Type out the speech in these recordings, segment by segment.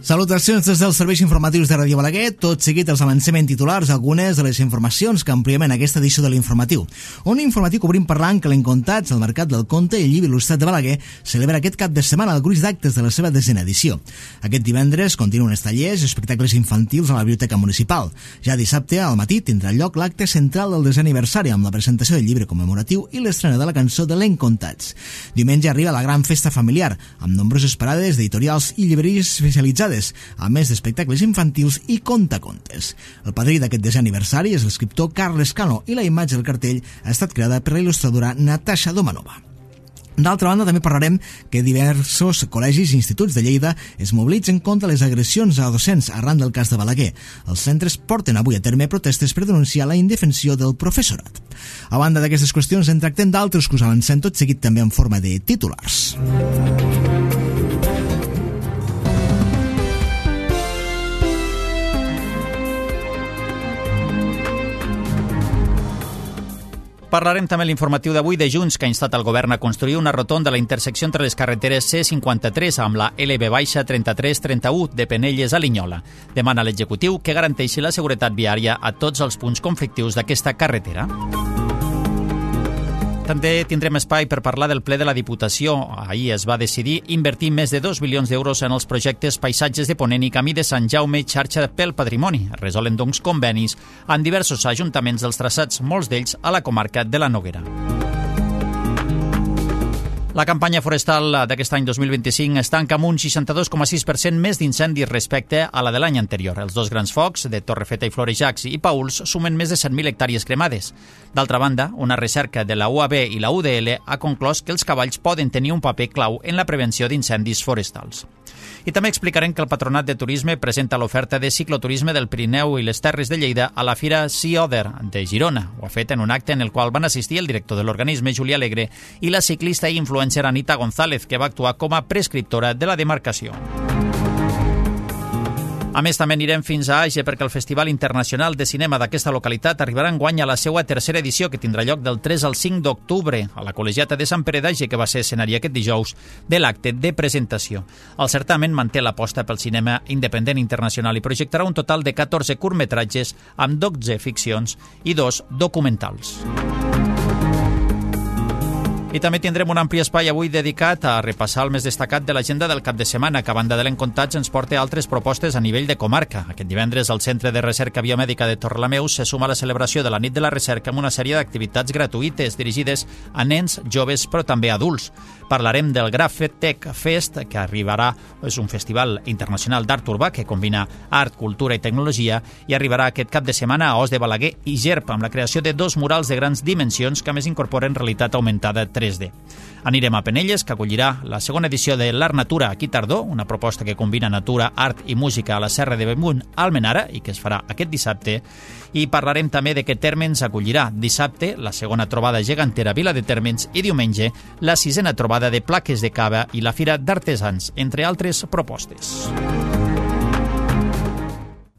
Salutacions des dels serveis informatius de Ràdio Balaguer. Tot seguit els avancem en titulars algunes de les informacions que ampliem en aquesta edició de l'Informatiu. Un informatiu que obrim parlant que l'Encontats, el Mercat del Conte i el Llibre Il·lustrat de Balaguer celebra aquest cap de setmana el gruix d'actes de la seva 10ª edició. Aquest divendres continuen els tallers i espectacles infantils a la Biblioteca Municipal. Ja dissabte al matí tindrà lloc l'acte central del 10è aniversari amb la presentació del llibre commemoratiu i l'estrena de la cançó de l'Encontats. Diumenge arriba la gran festa familiar amb nombroses parades d'editorials i llibreries especialitzades, a més d'espectacles infantils i contacontes. El padrí d'aquest 10è aniversari és l'escriptor Carles Cano i la imatge del cartell ha estat creada per la il·lustradora Natasha Domanova. D'altra banda, també parlarem que diversos col·legis i instituts de Lleida es mobilitzen contra les agressions a docents arran del cas de Balaguer. Els centres porten avui a terme protestes per denunciar la indefensió del professorat. A banda d'aquestes qüestions, en tractem d'altres que us avancem tot seguit també en forma de titulars. Parlarem també a l'informatiu d'avui de Junts, que ha instat el govern a construir una rotonda a la intersecció entre les carreteres C53 amb la LB-3331 de Penelles a Linyola. Demana a l'executiu que garanteixi la seguretat viària a tots els punts conflictius d'aquesta carretera. També tindrem espai per parlar del ple de la Diputació. Ahir es va decidir invertir més de 2 milions d'euros en els projectes Paisatges de Ponent i Camí de Sant Jaume, xarxa pel patrimoni. Resolen, doncs, convenis amb diversos ajuntaments dels traçats, molts d'ells a la comarca de la Noguera. La campanya forestal d'aquest any 2025 es tanca amb un 62,6% més d'incendis respecte a la de l'any anterior. Els dos grans focs, de Torrefeta i Florejacs i Pauls, sumen més de 100.000 hectàrees cremades. D'altra banda, una recerca de la UAB i la UDL ha conclòs que els cavalls poden tenir un paper clau en la prevenció d'incendis forestals. I també explicarem que el Patronat de Turisme presenta l'oferta de cicloturisme del Pirineu i les Terres de Lleida a la Fira Sea Other de Girona. Ho ha fet en un acte en el qual van assistir el director de l'organisme, Julià Alegre, i la ciclista i influencer Anita González, que va actuar com a prescriptora de la demarcació. A més, també anirem fins a Age perquè el Festival Internacional de Cinema d'aquesta localitat arribarà enguany a la seva 3a edició, que tindrà lloc del 3 al 5 d'octubre a la Col·legiata de Sant Pere d'Age, que va ser escenari aquest dijous de l'acte de presentació. El certamen manté l'aposta pel cinema independent internacional i projectarà un total de 14 curtmetratges amb 12 ficcions i 2 documentals. I també tindrem un ampli espai avui dedicat a repassar el més destacat de l'agenda del cap de setmana, que a banda de l'Encontats ens porta altres propostes a nivell de comarca. Aquest divendres el Centre de Recerca Biomèdica de Torrelameu se suma a la celebració de la Nit de la Recerca amb una sèrie d'activitats gratuïtes dirigides a nens, joves, però també adults. Parlarem del Grafetech Fest, que arribarà, és un festival internacional d'art urbà que combina art, cultura i tecnologia, i arribarà aquest cap de setmana a Os de Balaguer i Gerp, amb la creació de 2 murals de grans dimensions que a més incorporen realitat augmentada 3D. Anirem a Penelles, que acollirà la 2a edició de l'Art Natura aquí tardor, una proposta que combina natura, art i música a la Serra de Bellmunt a Almenara i que es farà aquest dissabte. I parlarem també de que Térmens acollirà dissabte la 2a trobada gegantera Vila de Térmens i diumenge la 6a trobada de plaques de cava i la Fira d'Artesans, entre altres propostes.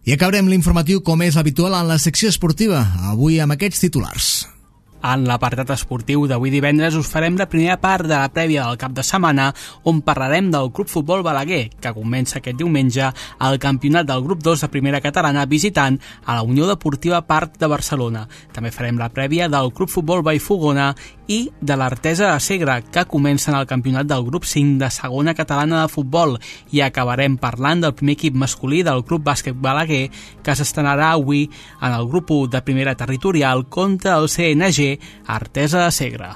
I acabarem l'informatiu com és habitual en la secció esportiva, avui amb aquests titulars. En l'apartat esportiu d'avui divendres us farem la primera part de la prèvia del cap de setmana, on parlarem del Club Futbol Balaguer, que comença aquest diumenge al campionat del grup 2 de primera catalana visitant a la Unió Deportiva Parc de Barcelona. També farem la prèvia del Club Futbol Vallfogona i de l'Artesa de Segre, que comencen el campionat del grup 5 de segona catalana de futbol, i acabarem parlant del primer equip masculí del Club Bàsquet Balaguer, que s'estrenarà avui en el grup 1 de primera territorial contra el CNG Artesa de Segre.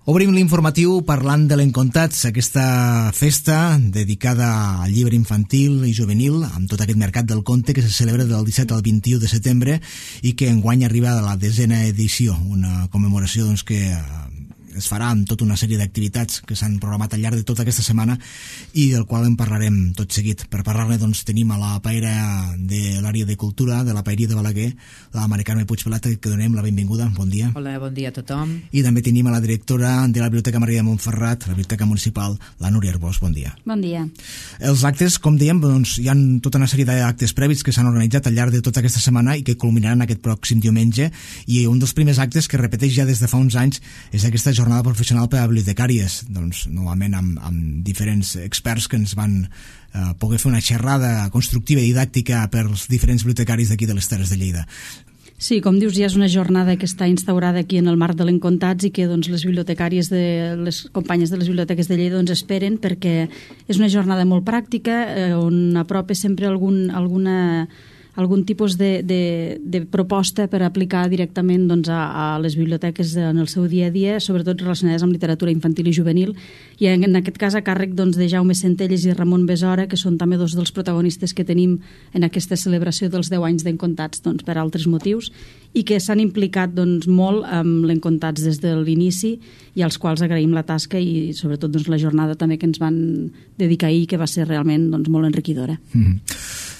Obrim l'informatiu parlant de l'Encontats, aquesta festa dedicada al llibre infantil i juvenil, amb tot aquest mercat del conte que se celebra del 17 al 21 de setembre i que enguany arriba a la 10a edició, una commemoració doncs, que es farà amb tota una sèrie d'activitats que s'han programat al llarg de tota aquesta setmana i del qual en parlarem tot seguit. Per parlar-ne doncs tenim a la paella de l'àrea de cultura de la paeria de Balaguer, la Mari Carme Puigpelata, que donem la benvinguda. Bon dia. Hola, bon dia a tothom. I també tenim a la directora de la Biblioteca Maria de Montferrat, la Biblioteca Municipal, la Núria Arbós. Bon dia. Bon dia. Els actes, com dèiem, doncs, hi ha tota una sèrie d'actes prèvis que s'han organitzat al llarg de tota aquesta setmana i que culminaran aquest pròxim diumenge, i un dels primers actes que repeteix ja des de fa uns anys és aquesta jornada professional per a bibliotecàries, doncs, novament amb diferents experts que ens van poder fer una xerrada constructiva i didàctica per als diferents bibliotecaris d'aquí de les Terres de Lleida. Sí, com dius, ja és una jornada que està instaurada aquí en el marc de l'Encontats i que doncs, les bibliotecàries, les companyes de les biblioteques de Lleida doncs, esperen, perquè és una jornada molt pràctica on apropa sempre algun tipus de proposta per aplicar directament doncs, a les biblioteques en el seu dia a dia, sobretot relacionades amb literatura infantil i juvenil, i en aquest cas a càrrec doncs, de Jaume Centelles i Ramon Besora, que són també dos dels protagonistes que tenim en aquesta celebració dels 10 anys d'Encontats doncs, per altres motius, i que s'han implicat doncs, molt amb l'Encontats des de l'inici i als quals agraïm la tasca i sobretot doncs, la jornada també que ens van dedicar ahir, que va ser realment doncs, molt enriquidora.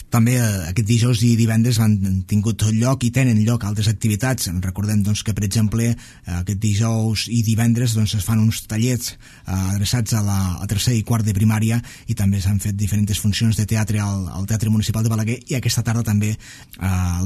També aquest dijous i divendres han tingut lloc i tenen lloc altres activitats. Recordem doncs, que, per exemple, aquest dijous i divendres doncs, es fan uns tallers adreçats a tercer i quart de primària, i també s'han fet diferents funcions de teatre al Teatre Municipal de Balaguer, i aquesta tarda també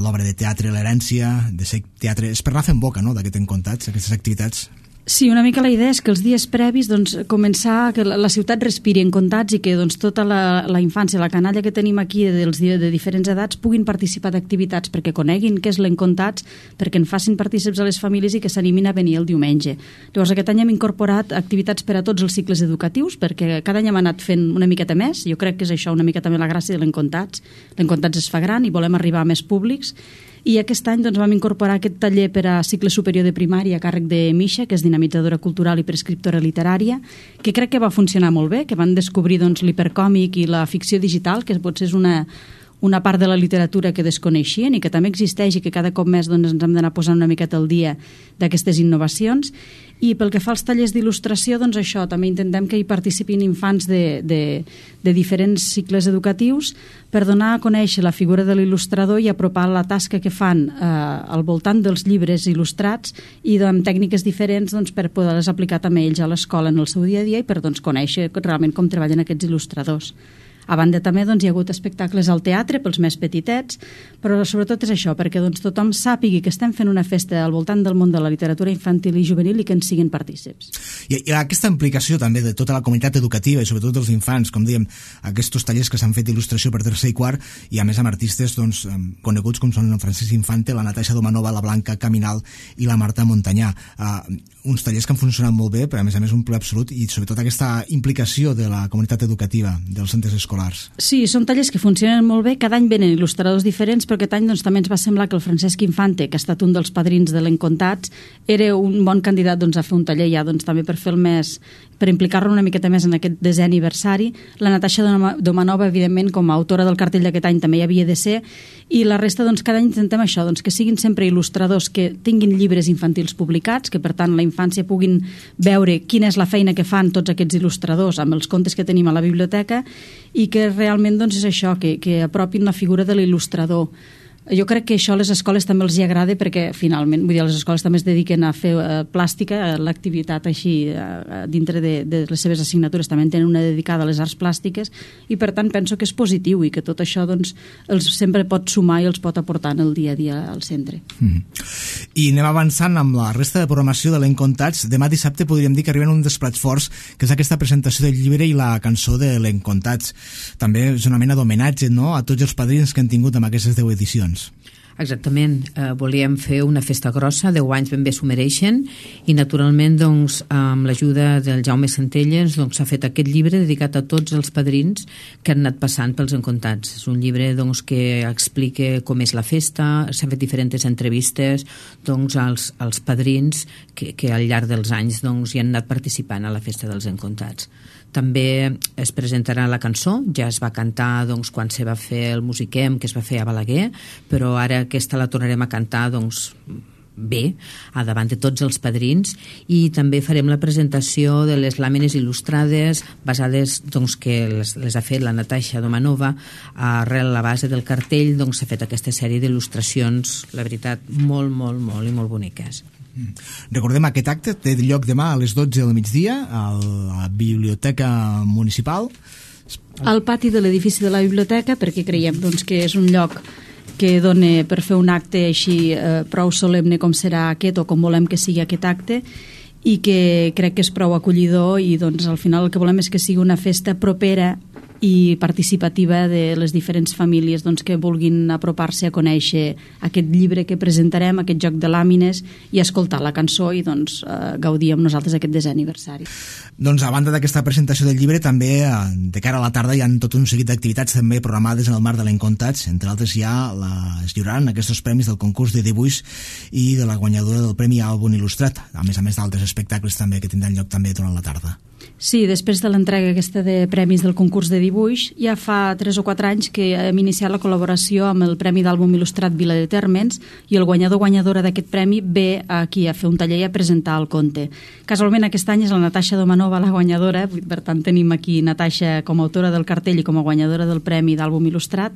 l'obra de teatre L'Herència, de ser teatre, és per anar fent boca, no?, d'aquest Encontats, aquestes activitats. Sí, una mica la idea és que els dies previs doncs, començar que la ciutat respiri Encontats i que doncs, tota la infància, la canalla que tenim aquí de diferents edats puguin participar d'activitats perquè coneguin què és l'Encontats, perquè en facin partícips a les famílies i que s'animin a venir el diumenge. Llavors aquest any hem incorporat activitats per a tots els cicles educatius, perquè cada any hem anat fent una miqueta més. Jo crec que és això una mica també la gràcia de l'Encontats. L'Encontats es fa gran i volem arribar a més públics. I aquest any doncs, vam incorporar aquest taller per a cicle superior de primària a càrrec de Misha, que és dinamitzadora cultural i prescriptora literària, que crec que va funcionar molt bé, que van descobrir doncs, l'hipercòmic i la ficció digital, que potser és una part de la literatura que desconeixien i que també existeix i que cada cop més doncs, ens hem d'anar posant una miqueta al dia d'aquestes innovacions. I pel que fa als tallers d'il·lustració, doncs això, també intentem que hi participin infants de diferents cicles educatius per donar a conèixer la figura de l'il·lustrador i apropar la tasca que fan al voltant dels llibres il·lustrats i amb tècniques diferents doncs, per poder-les aplicar també ells a l'escola en el seu dia a dia i per doncs, conèixer realment com treballen aquests il·lustradors. A banda també doncs, hi ha hagut espectacles al teatre pels més petitets, però sobretot és això, perquè doncs, tothom sàpigui que estem fent una festa al voltant del món de la literatura infantil i juvenil i que ens siguin partícips. I aquesta implicació també de tota la comunitat educativa i sobretot dels infants, com dèiem, aquests tallers que s'han fet d'il·lustració per tercer i quart, i a més amb artistes doncs, coneguts com són el Francesc Infante, la Natasha Domanova, la Blanca Caminal i la Marta Montanyà. Uns tallers que han funcionat molt bé, però a més un ple absolut, i sobretot aquesta implicació de la comunitat educativa dels centres escolars. Sí, són tallers que funcionen molt bé, cada any venen il·lustradors diferents, però aquest any doncs, també ens va semblar que el Francesc Infante, que ha estat un dels padrins de l'Encontats, era un bon candidat doncs, a fer un taller ja doncs, també per fer el més, per implicar-lo una miqueta més en aquest 10è aniversari. La Natasha Domanova, evidentment, com a autora del cartell d'aquest any també hi havia de ser, i la resta doncs, cada any intentem això, doncs, que siguin sempre il·lustradors que tinguin llibres infantils publicats, que per tant la infància puguin veure quina és la feina que fan tots aquests il·lustradors amb els contes que tenim a la biblioteca i que realment doncs, és això, que apropin la figura de l'il·lustrador. Jo crec que això a les escoles també els hi agrada perquè finalment, vull dir, les escoles també es dediquen a fer plàstica, l'activitat així dintre de les seves assignatures també en tenen una dedicada a les arts plàstiques i per tant penso que és positiu i que tot això doncs, els sempre pot sumar i els pot aportar en el dia a dia al centre. I anem avançant amb la resta de programació de l'Encontats. Demà dissabte podríem dir que arriben un dels plats forts, que és aquesta presentació del llibre i la cançó de l'Encontats. També és una mena d'homenatge, no?, a tots els padrins que han tingut amb aquestes 10 edicions. Exactament, volíem fer una festa grossa, 10 anys ben bé s'ho mereixen i naturalment doncs, amb l'ajuda del Jaume Centelles doncs, s'ha fet aquest llibre dedicat a tots els padrins que han anat passant pels Encontats. És un llibre doncs, que explica com és la festa, s'han fet diferents entrevistes doncs, als padrins que al llarg dels anys doncs, hi han anat participant a la festa dels Encontats. També es presentarà la cançó, ja es va cantar doncs, quan se va fer el Musiquem, que es va fer a Balaguer, però ara aquesta la tornarem a cantar doncs, bé, davant de tots els padrins, i també farem la presentació de les làmines il·lustrades basades, doncs, que les ha fet la Natasha Domanova. Arrel la base del cartell, doncs, s'ha fet aquesta sèrie d'il·lustracions, la veritat, molt, molt, molt i molt boniques. Recordem, aquest acte té lloc demà a les 12 del migdia a la Biblioteca Municipal, al pati de l'edifici de la biblioteca, perquè creiem, doncs, que és un lloc que dona per fer un acte així prou solemne com serà aquest, o com volem que sigui aquest acte, i que crec que és prou acollidor, i doncs al final el que volem és que sigui una festa propera i participativa de les diferents famílies, doncs, que vulguin apropar-se a conèixer aquest llibre que presentarem, aquest joc de làmines, i escoltar la cançó i, doncs, gaudir amb nosaltres aquest 10è aniversari. Doncs a banda d'aquesta presentació del llibre, també de cara a la tarda hi ha tot un seguit d'activitats també programades en el marc de l'Encontats. Entre altres es lliuraran aquests premis del concurs de dibuix i de la guanyadora del Premi Àlbum Il·lustrat, a més d'altres espectacles també que tindran lloc també durant la tarda. Sí, després de l'entrega aquesta de premis del concurs de dibuix, ja fa 3 o 4 anys que hem iniciat la col·laboració amb el Premi d'Àlbum Il·lustrat Vila de Térmens, i el guanyadora d'aquest premi ve aquí a fer un taller i a presentar el conte. Casualment aquest any és la Natasha Domanova la guanyadora, per tant tenim aquí Natasha com a autora del cartell i com a guanyadora del Premi d'Àlbum Il·lustrat,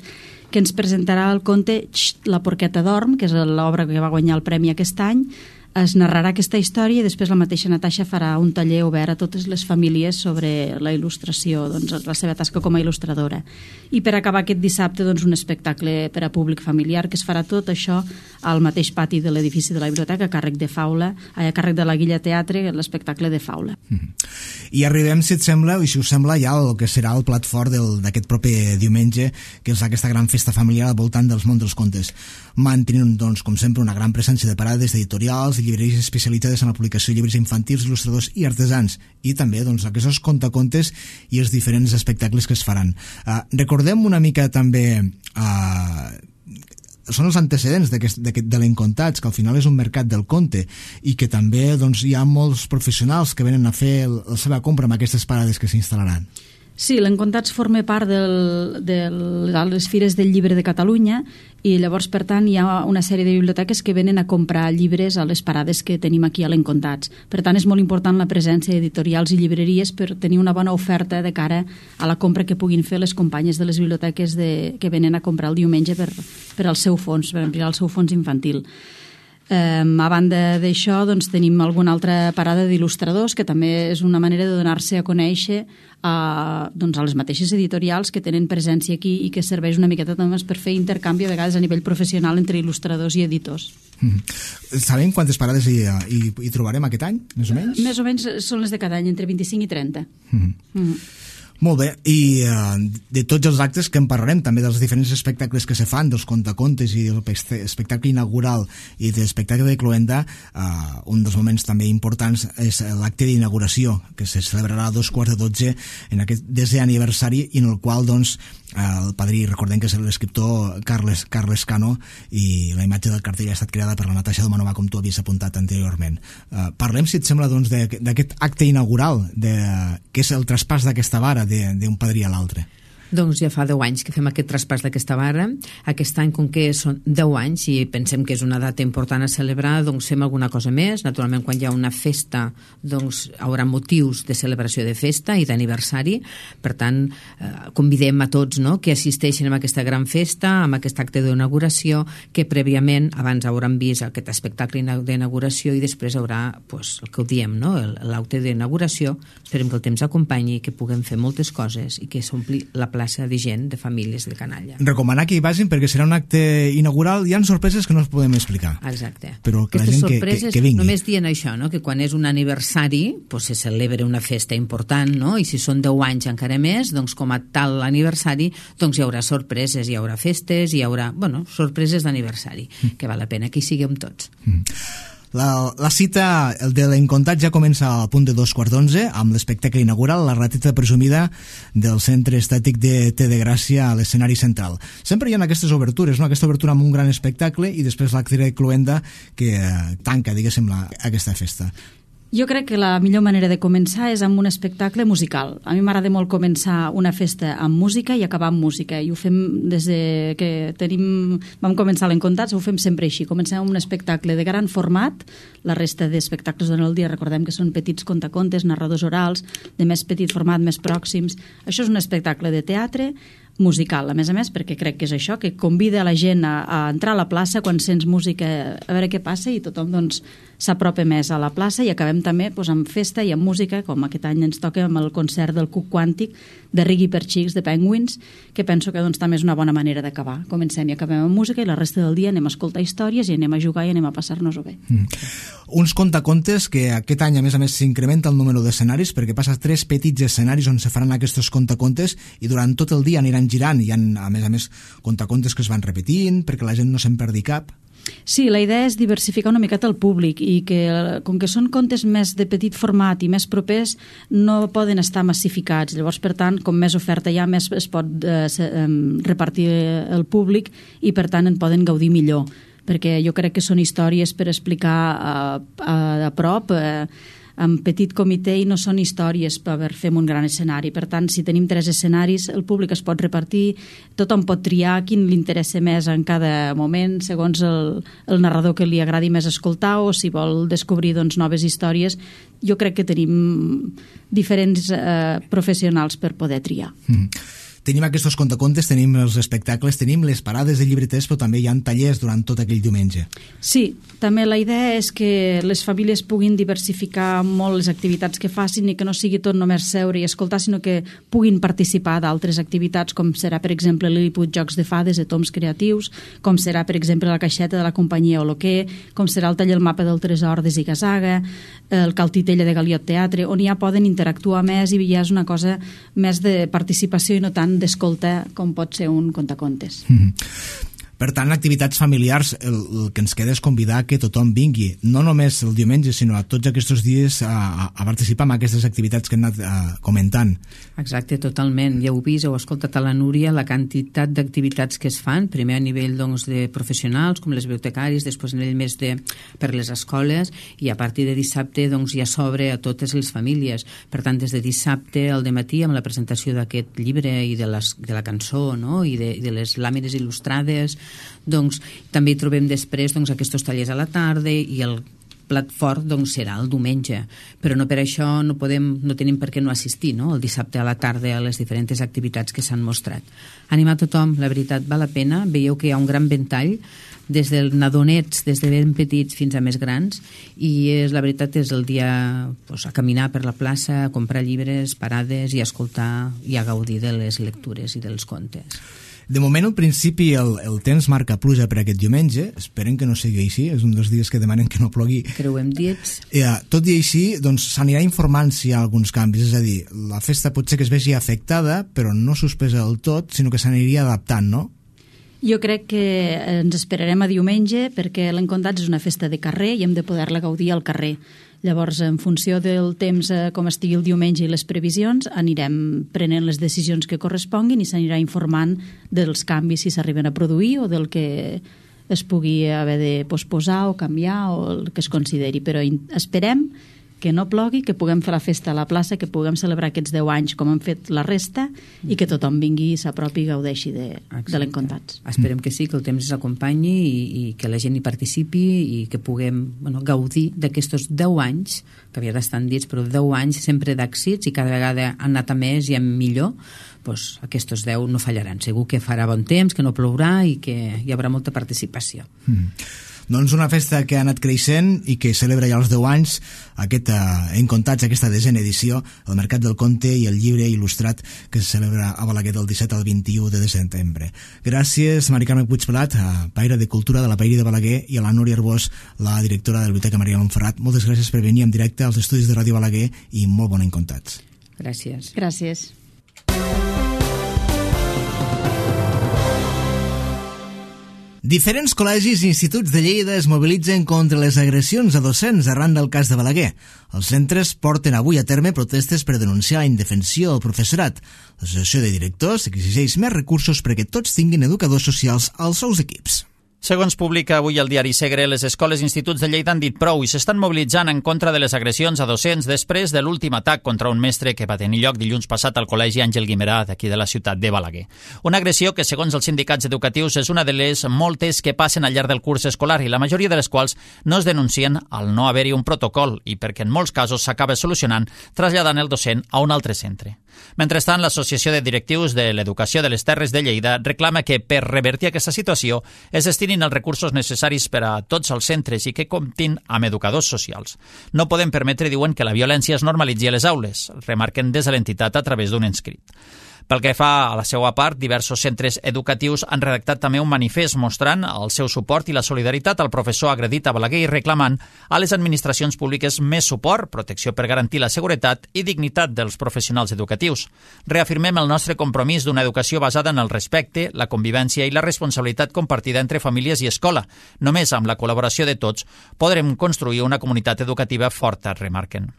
que ens presentarà el conte La porqueta dorm, que és l'obra que va guanyar el premi aquest any. Es narrarà aquesta història i després la mateixa Natasha farà un taller obert a totes les famílies sobre la il·lustració, doncs, la seva tasca com a il·lustradora. I per acabar aquest dissabte, doncs, un espectacle per a públic familiar, que es farà tot això al mateix pati de l'edifici de la biblioteca, a càrrec de la Guilla Teatre, l'espectacle de Faula. I arribem, si et sembla, i si us sembla, ja el que serà el plat fort d'aquest proper diumenge, que és aquesta gran festa familiar al voltant dels mons dels contes. Mantenint, doncs, com sempre, una gran presència de parades d'editorials i llibreries especialitzades en la publicació de llibres infantils, il·lustradors i artesans, i també, doncs, aquests contacontes i els diferents espectacles que es faran. Recordem una mica també són els antecedents de l'Encontats, que al final és un mercat del conte, i que també, doncs, hi ha molts professionals que venen a fer la seva compra amb aquestes parades que s'instal·laran. Sí, l'Encontats forma part de les Fires del Llibre de Catalunya, i llavors, per tant, hi ha una sèrie de biblioteques que venen a comprar llibres a les parades que tenim aquí a l'Encontats. Per tant, és molt important la presència d'editorials i llibreries per tenir una bona oferta de cara a la compra que puguin fer les companyes de les biblioteques que venen a comprar el diumenge per al seu fons, per ampliar el seu fons infantil. A banda d'això, doncs, tenim alguna altra parada d'il·lustradors, que també és una manera de donar-se a conèixer a les mateixes editorials que tenen presència aquí i que serveix una miqueta també per fer intercanvi a vegades a nivell professional entre il·lustradors i editors. Sabem quantes parades hi trobarem aquest any, més o menys? Més o menys són les de cada any, entre 25 i 30. Molt bé, i de tots els actes que en parlarem, també dels diferents espectacles que se fan, dels contacontes i del espectacle inaugural i de l'espectacle de cloenda, un dels moments també importants és l'acte d'inauguració, que se celebrarà a 12:15 en aquest 10è aniversari, i en el qual, doncs, el padrí, recordem que és l'escriptor Carles Cano, i la imatge del cartell ha estat creada per la Natasha Domanova, com tu havies apuntat anteriorment. Parlem, si et sembla, doncs, d'aquest acte inaugural, que és el traspàs d'aquesta vara d'un padrí a l'altre. Doncs ja fa 10 anys que fem aquest traspàs d'aquesta vara. Aquest any, com que són 10 anys i pensem que és una data important a celebrar, doncs fem alguna cosa més. Naturalment, quan hi ha una festa, doncs hi haurà motius de celebració de festa i d'aniversari. Per tant, convidem a tots, no?, que assisteixin a aquesta gran festa, amb aquest acte d'inauguració, que prèviament, abans hauran vist aquest espectacle d'inauguració i després haurà, doncs, el que ho diem, no?, l'acte d'inauguració. Esperem que el temps acompanyi, que puguem fer moltes coses i que s'ompli la plaça de gent, de famílies de Canalla. Recomanar que hi vagin perquè serà un acte inaugural. Hi ha sorpreses que no es podem explicar. Exacte. Però que aquestes la gent sorpreses, que vingui. Només dient això, no?, que quan és un aniversari pues se celebra una festa important, no?, i si són 10 anys encara més, doncs com a tal aniversari, doncs hi haurà sorpreses, hi haurà festes, hi haurà, sorpreses d'aniversari, que val la pena que hi siguem tots. La cita de l'Encontat ja comença al punt de 11:15 amb l'espectacle inaugural, la rateta presumida del Centre Estètic de Té de Gràcia a l'escenari central. Sempre hi ha aquestes obertures, no?, aquesta obertura amb un gran espectacle i després l'acte de cloenda que tanca, diguéssim, aquesta festa. Jo crec que la millor manera de començar és amb un espectacle musical. A mi m'agrada molt començar una festa amb música i acabar amb música, i ho fem des que vam començar l'Encontats, ho fem sempre així. Comencem amb un espectacle de gran format, la resta d'espectacles durant el dia recordem que són petits contacontes, narradors orals, de més petit format, més pròxims. Això és un espectacle de teatre musical, a més, perquè crec que és això, que convida la gent a entrar a la plaça quan sents música, a veure què passa, i tothom doncs s'apropa més a la plaça, i acabem també doncs, amb festa i amb música, com aquest any ens toca amb el concert del Cuc Quàntic de Riggy per Xics de Penguins, que penso que doncs, també és una bona manera d'acabar. Comencem i acabem amb música, i la resta del dia anem a escoltar històries i anem a jugar i anem a passar-nos-ho bé. Uns contacontes que aquest any a més s'incrementa el número d'escenaris, perquè passa 3 petits escenaris on se faran aquests contacontes, i durant tot el dia aniran girant. Hi ha a més contacontes que es van repetint perquè la gent no se'n perdi cap. Sí, la idea és diversificar una miqueta el públic, i que com que són contes més de petit format i més propers, no poden estar massificats. Llavors, per tant, com més oferta hi ha, més es pot repartir el públic, i per tant en poden gaudir millor, perquè jo crec que són històries per explicar a prop, en petit comitè, i no són històries per fer un gran escenari. Per tant, si tenim 3 escenaris, el públic es pot repartir, tothom pot triar quin li interessa més en cada moment, segons el narrador que li agradi més escoltar, o si vol descobrir doncs, noves històries. Jo crec que tenim diferents professionals per poder triar. Tenim aquests contacontes, tenim els espectacles, tenim les parades de llibreters, però també hi ha tallers durant tot aquell diumenge. Sí, també la idea és que les famílies puguin diversificar molt les activitats que facin, i que no sigui tot només seure i escoltar, sinó que puguin participar d'altres activitats, com serà, per exemple, Lilliput Jocs de Fades de Toms Creatius, com serà, per exemple, la caixeta de la companyia Oloquer, com serà el taller El Mapa del Tresor de Zigazaga, el Caltitella de Galiot Teatre, on ja poden interactuar més, i ja és una cosa més de participació i no tant d'escolta com pot ser un contacontes. Per tant, activitats familiars, el que ens queda és convidar que tothom vingui, no només el diumenge, sinó a tots aquests dies a participar en aquestes activitats que hem anat comentant. Exacte, totalment. Ja heu vist, heu escoltat a la Núria la quantitat d'activitats que es fan, primer a nivell doncs, de professionals, com les bibliotecaris, després a nivell més per les escoles, i a partir de dissabte doncs, ja s'obre a totes les famílies. Per tant, des de dissabte al dematí, amb la presentació d'aquest llibre i de la cançó, no? I de les làmines il·lustrades, doncs també hi trobem després doncs, aquests tallers a la tarda, i el plat fort doncs, serà el diumenge, però no per això no tenim per què no assistir, no? El dissabte a la tarda a les diferents activitats que s'han mostrat. Animar tothom, la veritat, val la pena. Veieu que hi ha un gran ventall, des dels nadonets, des de ben petits fins a més grans, i la veritat és el dia doncs, a caminar per la plaça, a comprar llibres, parades, i a escoltar i a gaudir de les lectures i dels contes. De moment, al principi, el temps marca pluja per aquest diumenge. Esperem que no sigui així. És un dels dies que demanen que no plogui. Creuem dits. Tot i així, doncs, s'anirà informant si hi ha alguns canvis. És a dir, la festa pot ser que es vegi afectada, però no suspesa del tot, sinó que s'aniria adaptant, no? Jo crec que ens esperarem a diumenge, perquè l'Encontats és una festa de carrer i hem de poder-la gaudir al carrer. Llavors, en funció del temps, com estigui el diumenge i les previsions, anirem prenent les decisions que corresponguin, i s'anirà informant dels canvis, si s'arriben a produir, o del que es pugui haver de posposar o canviar, o el que es consideri. Però esperem que no plogui, que puguem fer la festa a la plaça, que puguem celebrar aquests 10 anys com han fet la resta, i que tothom vingui, s'apropi i gaudeixi de l'Encontats. Esperem que sí, que el temps ens acompanyi, i que la gent hi participi, i que puguem gaudir d'aquests 10 anys, que havia d'estar dits, però 10 anys sempre d'èxits, i cada vegada han anat a més i a millor. Doncs aquests 10 no fallaran. Segur que farà bon temps, que no plourà, i que hi haurà molta participació. Doncs una festa que ha anat creixent i que celebra ja els 10 anys, Encontats, aquesta 10a edició, el Mercat del Conte i el llibre il·lustrat que se celebra a Balaguer del 17 al 21 de setembre. Gràcies, Mari Carme Puigpelat, Paire de Cultura de la Pairi de Balaguer, i a la Núria Arbós, la directora de la Biblioteca Maria Montferrat. Moltes gràcies per venir en directe als estudis de Ràdio Balaguer, i molt bon Encontats. Gràcies. Gràcies. Diferents col·legis i instituts de Lleida es mobilitzen contra les agressions a docents arran del cas de Balaguer. Els centres porten avui a terme protestes per denunciar la indefensió del professorat. L'associació de directors exigeix més recursos perquè tots tinguin educadors socials als seus equips. Segons publica avui el diari Segre, les escoles i instituts de Lleida han dit prou i s'estan mobilitzant en contra de les agressions a docents després de l'últim atac contra un mestre que va tenir lloc dilluns passat al Col·legi Àngel Guimerà d'aquí de la ciutat de Balaguer. Una agressió que, segons els sindicats educatius, és una de les moltes que passen al llarg del curs escolar i la majoria de les quals no es denuncien al no haver-hi un protocol i perquè en molts casos s'acaba solucionant traslladant el docent a un altre centre. Mentrestant, l'Associació de Directius de l'Educació de les Terres de Lleida reclama que, per revertir aquesta situació, es destinin els recursos necessaris per a tots els centres i que comptin amb educadors socials. No podem permetre, diuen, que la violència es normalitzi a les aules, remarquen des de l'entitat a través d'un escrit. Pel que fa a la seva part, diversos centres educatius han redactat també un manifest mostrant el seu suport i la solidaritat al professor agredit a Balaguer i reclamant a les administracions públiques més suport, protecció per garantir la seguretat i dignitat dels professionals educatius. Reafirmem el nostre compromís d'una educació basada en el respecte, la convivència i la responsabilitat compartida entre famílies i escola. Només amb la col·laboració de tots podrem construir una comunitat educativa forta, remarquen.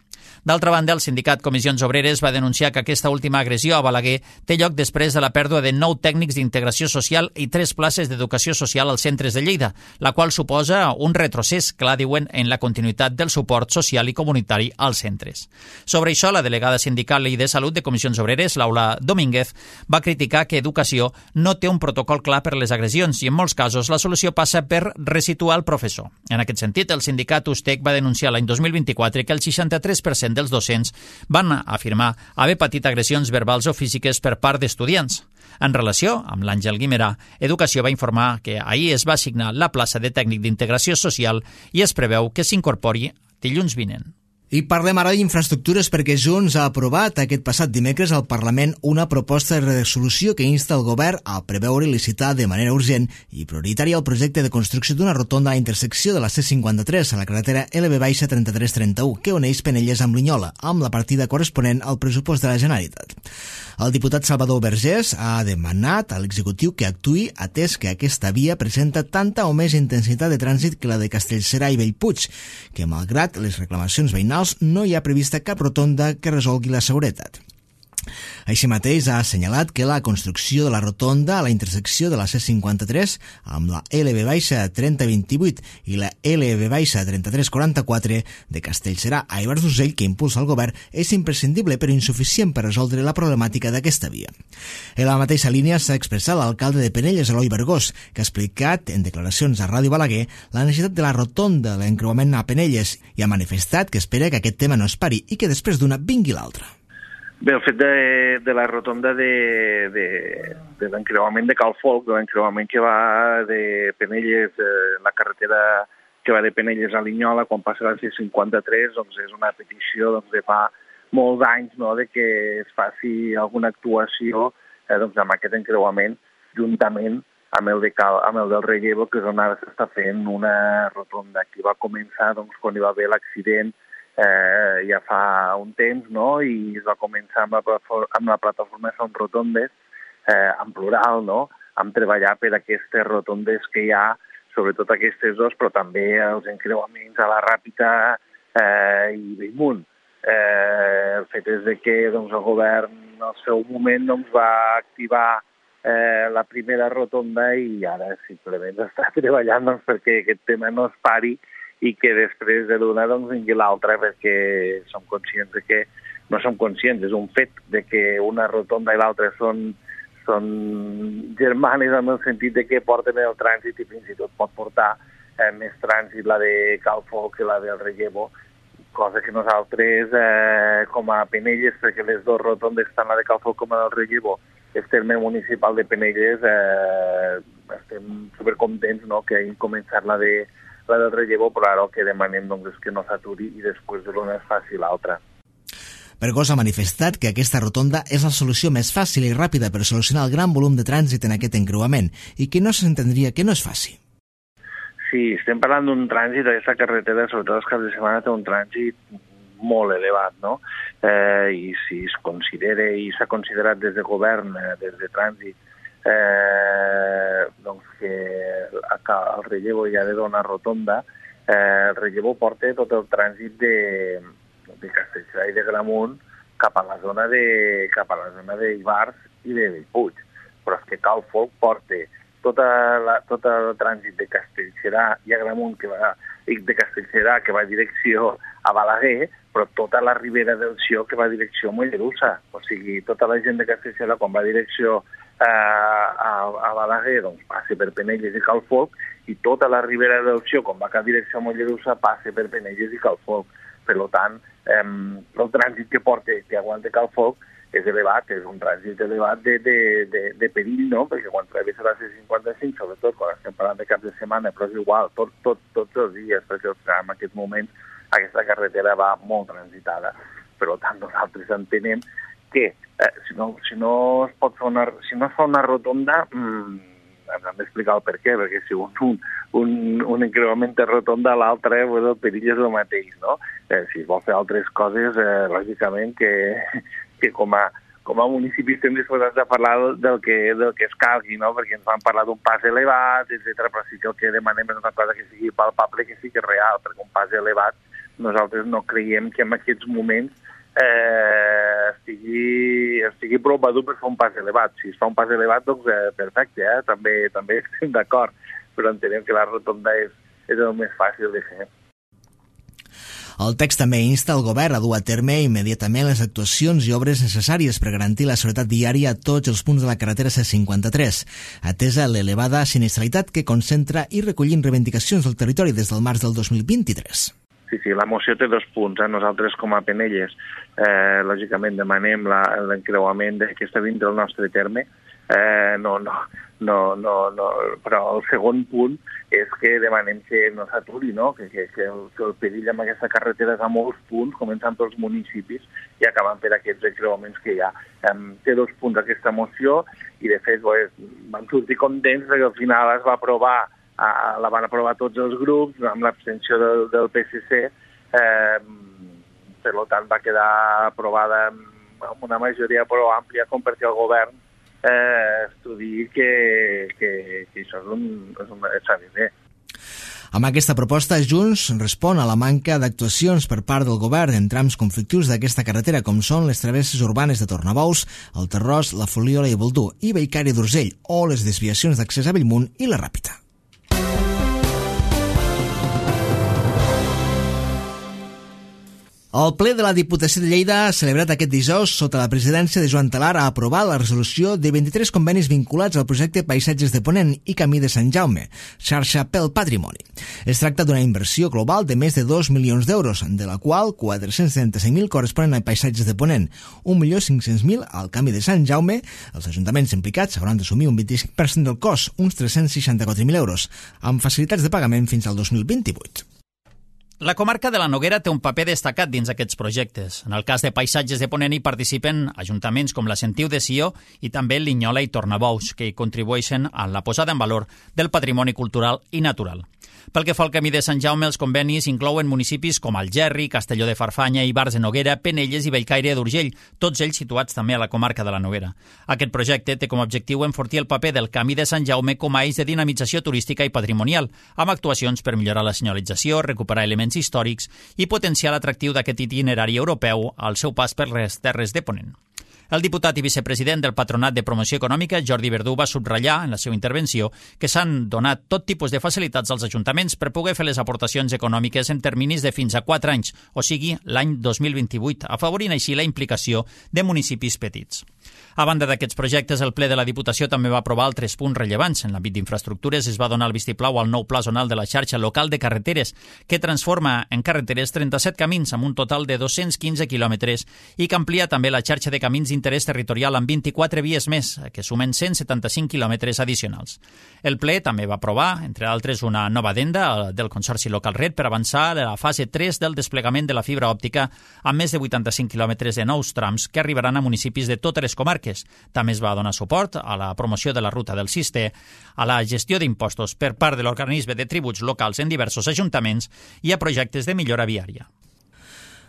D'altra banda, el sindicat Comissions Obreres va denunciar que aquesta última agressió a Balaguer té lloc després de la pèrdua de 9 tècnics d'integració social i 3 places d'educació social als centres de Lleida, la qual suposa un retrocés, clar, diuen, en la continuïtat del suport social i comunitari als centres. Sobre això, la delegada sindical i de Salut de Comissions Obreres, Laura Domínguez, va criticar que Educació no té un protocol clar per les agressions i, en molts casos, la solució passa per resituar el professor. En aquest sentit, el sindicat USTEC va denunciar l'any 2024 que el 63% dels docents van afirmar haver patit agressions verbals o físiques per part d'estudiants. En relació amb l'Àngel Guimerà, Educació va informar que ahir es va assignar la plaça de tècnic d'integració social i es preveu que s'incorpori dilluns vinent. I parlem ara d'infraestructures perquè Junts ha aprovat aquest passat dimecres al Parlament una proposta de resolució que insta el govern a preveure i licitar de manera urgent i prioritària el projecte de construcció d'una rotonda a la intersecció de la C53 a la carretera LB-3331 que uneix Penelles amb Linyola, amb la partida corresponent al pressupost de la Generalitat. El diputat Salvador Vergés ha demanat a l'executiu que actuï atès que aquesta via presenta tanta o més intensitat de trànsit que la de Castellserà i Bellpuig, que malgrat les reclamacions veïnals no hi ha prevista cap rotonda que resolgui la seguretat. Així mateix ha assenyalat que la construcció de la rotonda a la intersecció de la C53 amb la LB-3028 i la LB-3344 de Castellserà a Ivars d'Urgell que impulsa el govern és imprescindible però insuficient per resoldre la problemàtica d'aquesta via. En la mateixa línia s'ha expressat l'alcalde de Penelles, Eloi Bergós, que ha explicat en declaracions a Ràdio Balaguer la necessitat de la rotonda de l'encreuament a Penelles i ha manifestat que espera que aquest tema no es pari i que després d'una vingui l'altra. Bé, el fet de la rotonda de l'encreuament de Calfolc, de l'encreuament que va de Penelles, la carretera que va de Penelles a Linyola, quan passa la C53, doncs és una petició de fa molts anys, no?, de que es faci alguna actuació amb aquest encreuament juntament amb el del Rellevo, que és on ara s'està fent una rotonda. Aquí va començar quan hi va haver l'accident ja fa un temps, no?, i es va començar amb la plataforma Som Rotondes, en plural, no?, amb treballar per aquestes rotondes que hi ha, sobretot aquestes dos, però també els encreuaments a la Ràpita i Bellmunt. El fet és que el govern al seu moment va activar la primera rotonda i ara simplement està treballant perquè aquest tema no es pari i que després de l'una vingui l'altra, perquè som conscients de que no som conscients, és un fet de que una rotonda i l'altra són germanes en el sentit de que porten el trànsit i fins i tot pot portar més trànsit la de Calfolc que la del Rellevo, cosa que nosaltres com a Penelles, perquè les dues rotondes, tant la de Calfolc com la del Rellevo, el terme municipal de Penelles, estem supercontents, no?, que hagin començat la del Rellevo, però ara el que demanem és que no s'aturi i després de l'una es faci l'altra. Bergós ha manifestat que aquesta rotonda és la solució més fàcil i ràpida per solucionar el gran volum de trànsit en aquest encreuament i que no s'entendria que no es faci. Sí, estem parlant d'un trànsit, aquesta carretera, sobretot els caps de setmana, té un trànsit molt elevat, no? I si es considera i s'ha considerat des de govern, des de trànsit, que el Rellevo ja ha de donar rotonda, el Rellevo porta tot el trànsit de Castellserà i de Gramunt cap a la zona d'Ivars i de Bellpuig. Però és que Calfolc porta tot el trànsit de Castellserà i Agramunt, de Castellserà, que va a direcció a Balaguer, però tota la ribera del Sió que va a direcció a Mollerussa. O sigui, tota la gent de Castellserà, quan va a direcció a Balaguer, doncs passa per Penelles i Calfolc, i tota la ribera del Sió, quan va a direcció a Mollerussa, passa per Penelles i Calfolc. Per tant, el trànsit que aguanta Calfolc és elevat, és un trànsit elevat de perill, no? Perquè quan travessa la C55, sobretot quan estem parlant de cap de setmana, però és igual, tots els dies, perquè en aquest moment aquesta carretera va molt transitada. Per tant, nosaltres entenem que si no es fa una rotonda, hem d'explicar el per què, perquè si un encreuament de rotonda a l'altre, el perill és el mateix, no? Si es vol fer altres coses, lògicament que com a municipi estem disposats a parlar del que es calgui, no? Perquè ens van parlar d'un pas elevat, etc. Però sí que el que demanem és una cosa que sigui palpable, que sigui real, perquè un pas elevat nosaltres no creiem que en aquests moments estigui prou madur per fer un pas elevat. Si es fa un pas elevat, doncs perfecte, també estem d'acord, però entenem que la rotonda és el més fàcil de fer. El text també insta el govern a dur a terme immediatament les actuacions i obres necessàries per garantir la seguretat viària a tots els punts de la carretera C53, atesa l'elevada sinistralitat que concentra i recollint reivindicacions del territori des del març del 2023. Sí, la moció té 2 punts. Nosaltres, com a Penelles, lògicament demanem l'encreuament que està dins del nostre terme. Però el segon punt és que demanem que no s'aturi, no? Que el perill amb aquesta carretera és a molts punts, començant pels municipis i acabant per aquests encreuaments que hi ha. Té 2 punts aquesta moció i, de fet, vam sortir contents perquè al final es va aprovar, la van aprovar tots els grups, amb l'abstenció del PSC, per tant va quedar aprovada amb una majoria prou àmplia com perquè el govern estudiï que això s'ha de fer. Amb aquesta proposta, Junts respon a la manca d'actuacions per part del govern en trams conflictius d'aquesta carretera, com són les travesses urbanes de Tornabous, el Terrós, la Foliola i Boldú, i Bellcaire d'Urgell, o les desviacions d'accés a Bellmunt i la Ràpita. El ple de la Diputació de Lleida ha celebrat aquest dijous sota la presidència de Joan Talar ha aprovat la resolució de 23 convenis vinculats al projecte Paisatges de Ponent i Camí de Sant Jaume, xarxa pel patrimoni. Es tracta d'una inversió global de més de 2 milions d'euros, de la qual 435.000 corresponen a Paisatges de Ponent, 1.500.000 al Camí de Sant Jaume. Els ajuntaments implicats hauran d'assumir un 25% del cost, uns 364.000 euros, amb facilitats de pagament fins al 2028. La comarca de la Noguera té un paper destacat dins aquests projectes. En el cas de Paisatges de Ponent hi participen ajuntaments com la Sentiu de Sió i també Linyola i Tornabous, que hi contribueixen a la posada en valor del patrimoni cultural i natural. Pel que fa al Camí de Sant Jaume, els convenis inclouen municipis com Algerri, Castelló de Farfanya, Ivars de Noguera, Penelles i Bellcaire d'Urgell, tots ells situats també a la comarca de la Noguera. Aquest projecte té com a objectiu enfortir el paper del Camí de Sant Jaume com a eix de dinamització turística i patrimonial, amb actuacions per millorar la senyalització, recuperar elements històrics i potenciar l'atractiu d'aquest itinerari europeu al seu pas per les terres de Ponent. El diputat i vicepresident del Patronat de Promoció Econòmica, Jordi Verdú, va subratllar en la seva intervenció que s'han donat tot tipus de facilitats als ajuntaments per poder fer les aportacions econòmiques en terminis de fins a 4 anys, o sigui, l'any 2028, afavorint així la implicació de municipis petits. A banda d'aquests projectes, el ple de la Diputació també va aprovar altres punts rellevants. En l'àmbit d'infraestructures es va donar el vistiplau al nou pla zonal de la xarxa local de carreteres, que transforma en carreteres 37 camins amb un total de 215 quilòmetres i que amplia també la xarxa de camins d'interès territorial amb 24 vies més, que sumen 175 quilòmetres addicionals. El ple també va aprovar, entre altres, una nova addenda del Consorci Local Red per avançar a la fase 3 del desplegament de la fibra òptica amb més de 85 quilòmetres de nous trams que arribaran a municipis de totes les comarques. També es va donar suport a la promoció de la ruta del Cister, a la gestió d'impostos per part de l'organisme de tributs locals en diversos ajuntaments i a projectes de millora viària.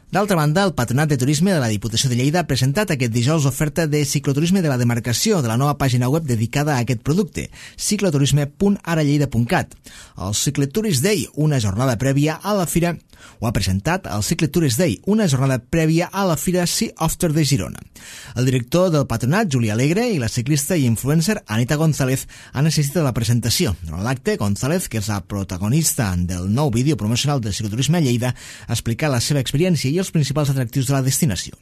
D'altra banda, el Patronat de Turisme de la Diputació de Lleida ha presentat aquest dijous l'oferta de cicloturisme de la demarcació de la nova pàgina web dedicada a aquest producte, cicloturisme.aralleida.cat. El Cycletourist Day, una jornada prèvia a la fira Ho ha presentat al Cicle Tourist Day, una jornada prèvia a la Fira Sea After de Girona. El director del patronat, Juli Alegre, i la ciclista i influencer Anita González han assistit a la presentació. Durant l'acte, González, que és la protagonista del nou vídeo promocional del cicloturisme a Lleida, ha explicat la seva experiència i els principals atractius de la destinació.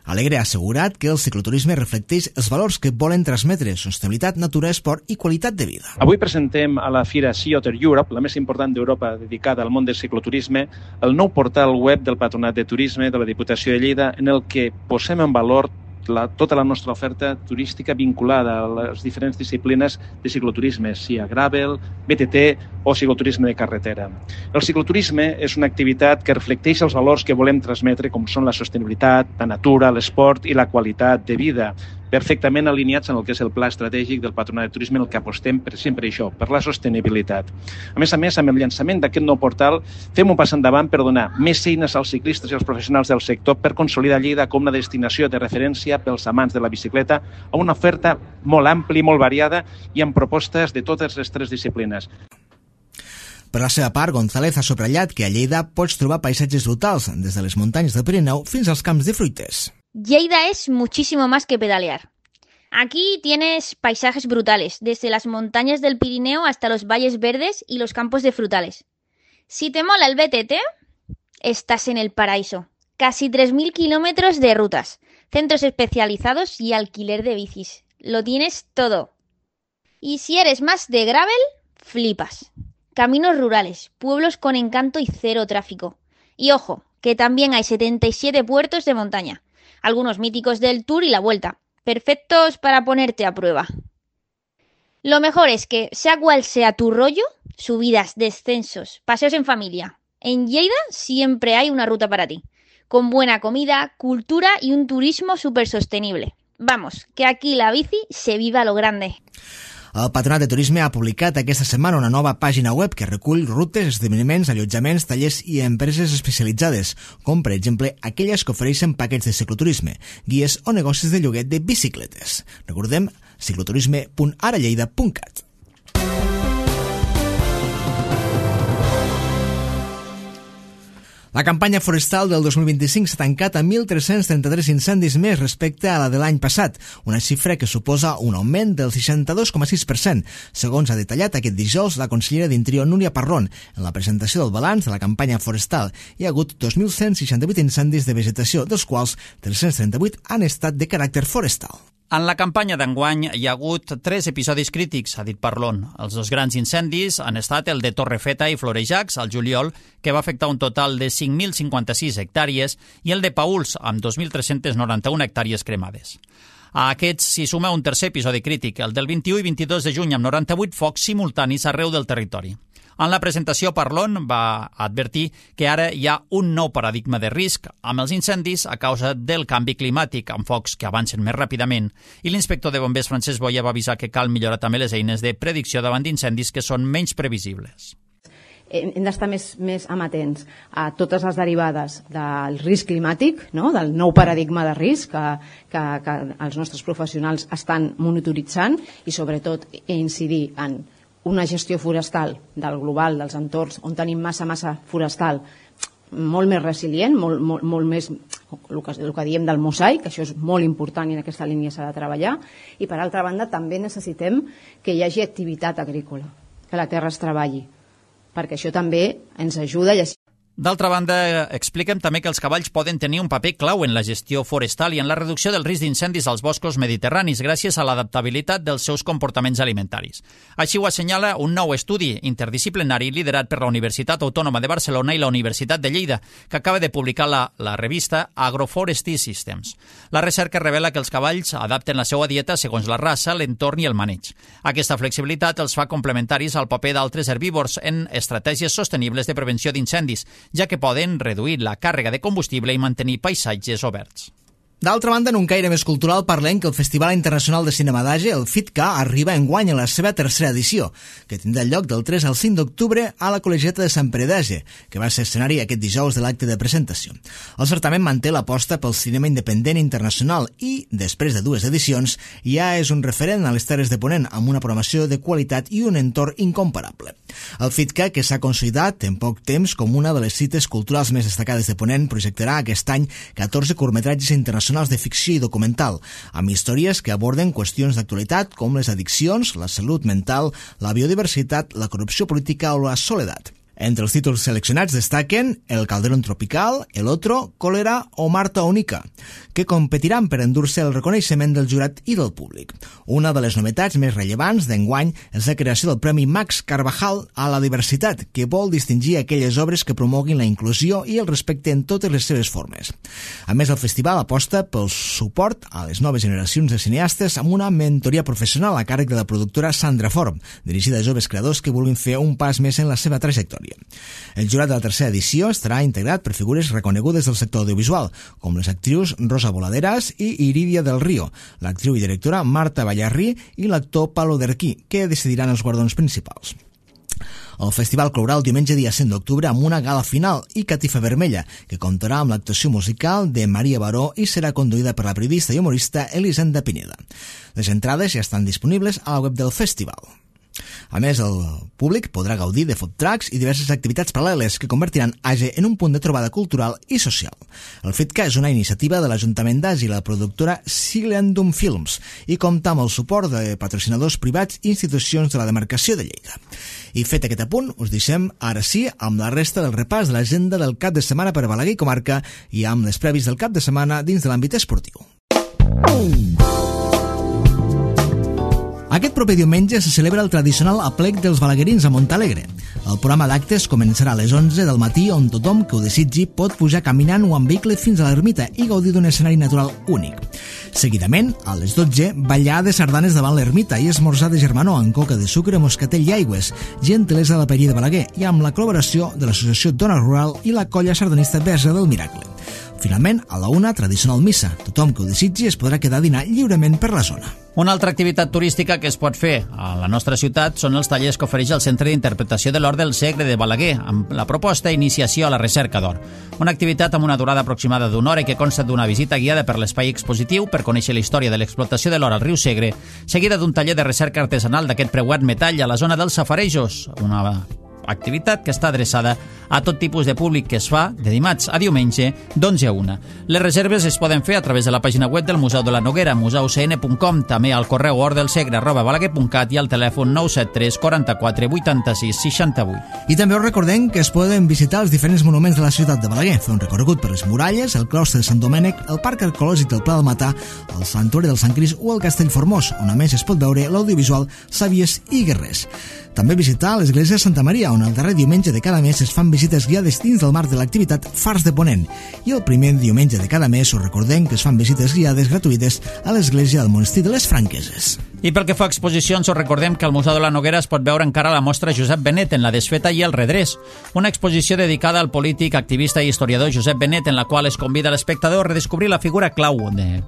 Alegre ha assegurat que el cicloturisme reflecteix els valors que volen transmetre: sostenibilitat, natura, esport i qualitat de vida. Avui presentem a la Fira Sea Otter Europe, la més important d'Europa dedicada al món del cicloturisme, el nou portal web del Patronat de Turisme de la Diputació de Lleida, en el que posem en valor tota la nostra oferta turística vinculada a les diferents disciplines de cicloturisme, sia gravel, BTT o cicloturisme de carretera. El cicloturisme és una activitat que reflecteix els valors que volem transmetre, com són la sostenibilitat, la natura, l'esport i la qualitat de vida, perfectament alineats en el que és el pla estratègic del Patronat de Turisme, en el que apostem per sempre això, per la sostenibilitat. A més, amb el llançament d'aquest nou portal, fem un pas endavant per donar més eines als ciclistes i als professionals del sector per consolidar Lleida com una destinació de referència pels amants de la bicicleta, amb una oferta molt àmplia i molt variada i amb propostes de totes les tres disciplines. Per la seva part, González ha subratllat que a Lleida pots trobar paisatges brutals, des de les muntanyes del Pirineu fins als camps de fruites. Lleida es muchísimo más que pedalear. Aquí tienes paisajes brutales, desde las montañas del Pirineo hasta los valles verdes y los campos de frutales. Si te mola el BTT, estás en el paraíso. Casi 3.000 kilómetros de rutas, centros especializados y alquiler de bicis. Lo tienes todo. Y si eres más de gravel, flipas. Caminos rurales, pueblos con encanto y cero tráfico. Y ojo, que también hay 77 puertos de montaña. Algunos míticos del Tour y la Vuelta, perfectos para ponerte a prueba. Lo mejor es que, sea cual sea tu rollo, subidas, descensos, paseos en familia, en Lleida siempre hay una ruta para ti, con buena comida, cultura y un turismo súper sostenible. Vamos, que aquí la bici se vive a lo grande. El Patronat de Turisme ha publicat aquesta setmana una nova pàgina web que recull rutes, esdeveniments, allotjaments, tallers i empreses especialitzades, com per exemple aquelles que ofereixen paquets de cicloturisme, guies o negocis de lloguer de bicicletes. Recordem, cicloturisme.aralleida.cat. La campanya forestal del 2025 s'ha tancat amb 1.333 incendis més respecte a la de l'any passat, una xifra que suposa un augment del 62,6%, segons ha detallat aquest dijous la consellera d'Interior Núria Parrón. En la presentació del balanç de la campanya forestal hi ha hagut 2.168 incendis de vegetació, dels quals 338 han estat de caràcter forestal. En la campanya d'enguany hi ha hagut 3 episodis crítics, ha dit Parlon. Els 2 grans incendis han estat el de Torrefeta i Florejacs, al juliol, que va afectar un total de 5.056 hectàrees, i el de Pauls, amb 2.391 hectàrees cremades. A aquests s'hi suma un tercer episodi crític, el del 21 i 22 de juny, amb 98 focs simultanis arreu del territori. En la presentació, Parlon va advertir que ara hi ha un nou paradigma de risc amb els incendis a causa del canvi climàtic, amb focs que avancen més ràpidament, i l'inspector de bombers Francesc Boia va avisar que cal millorar també les eines de predicció davant d'incendis que són menys previsibles. Hem d'estar més amatents a totes les derivades del risc climàtic, no? Del nou paradigma de risc que els nostres professionals estan monitoritzant, i sobretot incidir en una gestió forestal del global, dels entorns on tenim massa forestal, molt més resilient, molt més el que diem del mosaic, això és molt important i en aquesta línia s'ha de treballar. I per altra banda també necessitem que hi hagi activitat agrícola, que la terra es treballi, perquè això també ens ajuda. D'altra banda, expliquem també que els cavalls poden tenir un paper clau en la gestió forestal i en la reducció del risc d'incendis als boscos mediterranis gràcies a l'adaptabilitat dels seus comportaments alimentaris. Així ho assenyala un nou estudi interdisciplinari liderat per la Universitat Autònoma de Barcelona i la Universitat de Lleida, que acaba de publicar la revista Agroforestry Systems. La recerca revela que els cavalls adapten la seva dieta segons la raça, l'entorn i el maneig. Aquesta flexibilitat els fa complementaris al paper d'altres herbívors en estratègies sostenibles de prevenció d'incendis, ja que poden reduir la càrrega de combustible i mantenir paisatges oberts. D'altra banda, en un caire més cultural, parlem que el Festival Internacional de Cinema d'Age, el FITCA, arriba enguany a la seva tercera edició, que tindrà lloc del 3 al 5 d'octubre a la Col·legiata de Sant Pere d'Age, que va ser escenari aquest dijous de l'acte de presentació. El certamen manté l'aposta pel cinema independent internacional i, després de 2 edicions, ja és un referent a les Terres de Ponent, amb una programació de qualitat i un entorn incomparable. El FITCA, que s'ha consolidat en poc temps com una de les cites culturals més destacades de Ponent, projectarà aquest any 14 curtmetratges internacionals de ficció i documental, amb històries que aborden qüestions d'actualitat com les addiccions, la salut mental, la biodiversitat, la corrupció política o la soledat. Entre els títols seleccionats destaquen El Calderón Tropical, El Otro, Cólera o Marta Onica, que competiran per endur-se el reconeixement del jurat i del públic. Una de les novetats més rellevants d'enguany és la creació del Premi Max Carvajal a la diversitat, que vol distingir aquelles obres que promoguin la inclusió i el respecte en totes les seves formes. A més, el festival aposta pel suport a les noves generacions de cineastes amb una mentoria professional a càrrec de la productora Sandra Form, dirigida a joves creadors que vulguin fer un pas més en la seva trajectòria. El jurat de la tercera edició estarà integrat per figures reconegudes del sector audiovisual, com les actrius Rosa Voladeras i Iridia del Río, l'actriu i directora Marta Ballarrí i l'actor Palo Derquí, que decidiran els guardons principals. El festival clourà el diumenge dia 5 d'octubre amb una gala final i catifa vermella, que comptarà amb l'actuació musical de Maria Baró i serà conduïda per la periodista i humorista Elisenda Pineda. Les entrades ja estan disponibles a la web del festival. A més, el públic podrà gaudir de food trucks i diverses activitats paral·leles que convertiran AGE en un punt de trobada cultural i social. El FITCA és una iniciativa de l'Ajuntament d'Agi i la productora Silendum Films i compta amb el suport de patrocinadors privats i institucions de la demarcació de Lleida. I fet aquest apunt, us deixem ara sí amb la resta del repàs de l'agenda del cap de setmana per Balaguer i comarca i amb les prèvis del cap de setmana dins de l'àmbit esportiu. Aquest proper diumenge se celebra el tradicional aplec dels balaguerins a Montalegre. El programa d'actes començarà a les 11 del matí on tothom que ho desitgi pot pujar caminant o amb vehicle fins a l'ermita i gaudir d'un escenari natural únic. Seguidament, a les 12, ballar de sardanes davant l'ermita i esmorzar de germanor amb coca de sucre, moscatell i aigües, gentilesa de la paella de Balaguer i amb la col·laboració de l'Associació Dona Rural i la colla sardanista Verge del Miracle. Finalment, a la 1, tradicional missa. Tothom que ho desitgi es podrà quedar a dinar lliurement per la zona. Una altra activitat turística que es pot fer a la nostra ciutat són els tallers que ofereix el Centre d'Interpretació de l'Or del Segre de Balaguer, amb la proposta Iniciació a la Recerca d'Or. Una activitat amb una durada aproximada d'una hora i que consta d'una visita guiada per l'espai expositiu per conèixer la història de l'explotació de l'or al riu Segre, seguida d'un taller de recerca artesanal d'aquest preuat metall a la zona dels safarejos, una activitat que està adreçada a tot tipus de públic que es fa de dimarts a diumenge d'11 a 1. Les reserves es poden fer a través de la pàgina web del Museu de la Noguera, museucn.com, també al correu ordelsegre@balaguer.cat i al telèfon 973 44 86 68. I també us recordem que es poden visitar els diferents monuments de la ciutat de Balaguer, fer un recorregut per les muralles, el claustre de Sant Domènec, el parc arqueològic del Pla del Matà, el santuari del Sant Crist o el Castell Formós, on a més es pot veure l'audiovisual Sàvies i Guerrers. També visitar l'església de Santa Maria, on el darrer diumenge de cada mes es fan visites guiades dins del marc de l'activitat Fars de Ponent. I el primer diumenge de cada mes us recordem que es fan visites guiades gratuïtes a l'església del monestir de les Franqueses. I pel que fa a exposicions, us recordem que al Museu de la Noguera es pot veure encara la mostra Josep Benet en la desfeta i el redrés, una exposició dedicada al polític, activista i historiador Josep Benet, en la qual es convida l'espectador a redescobrir la figura clau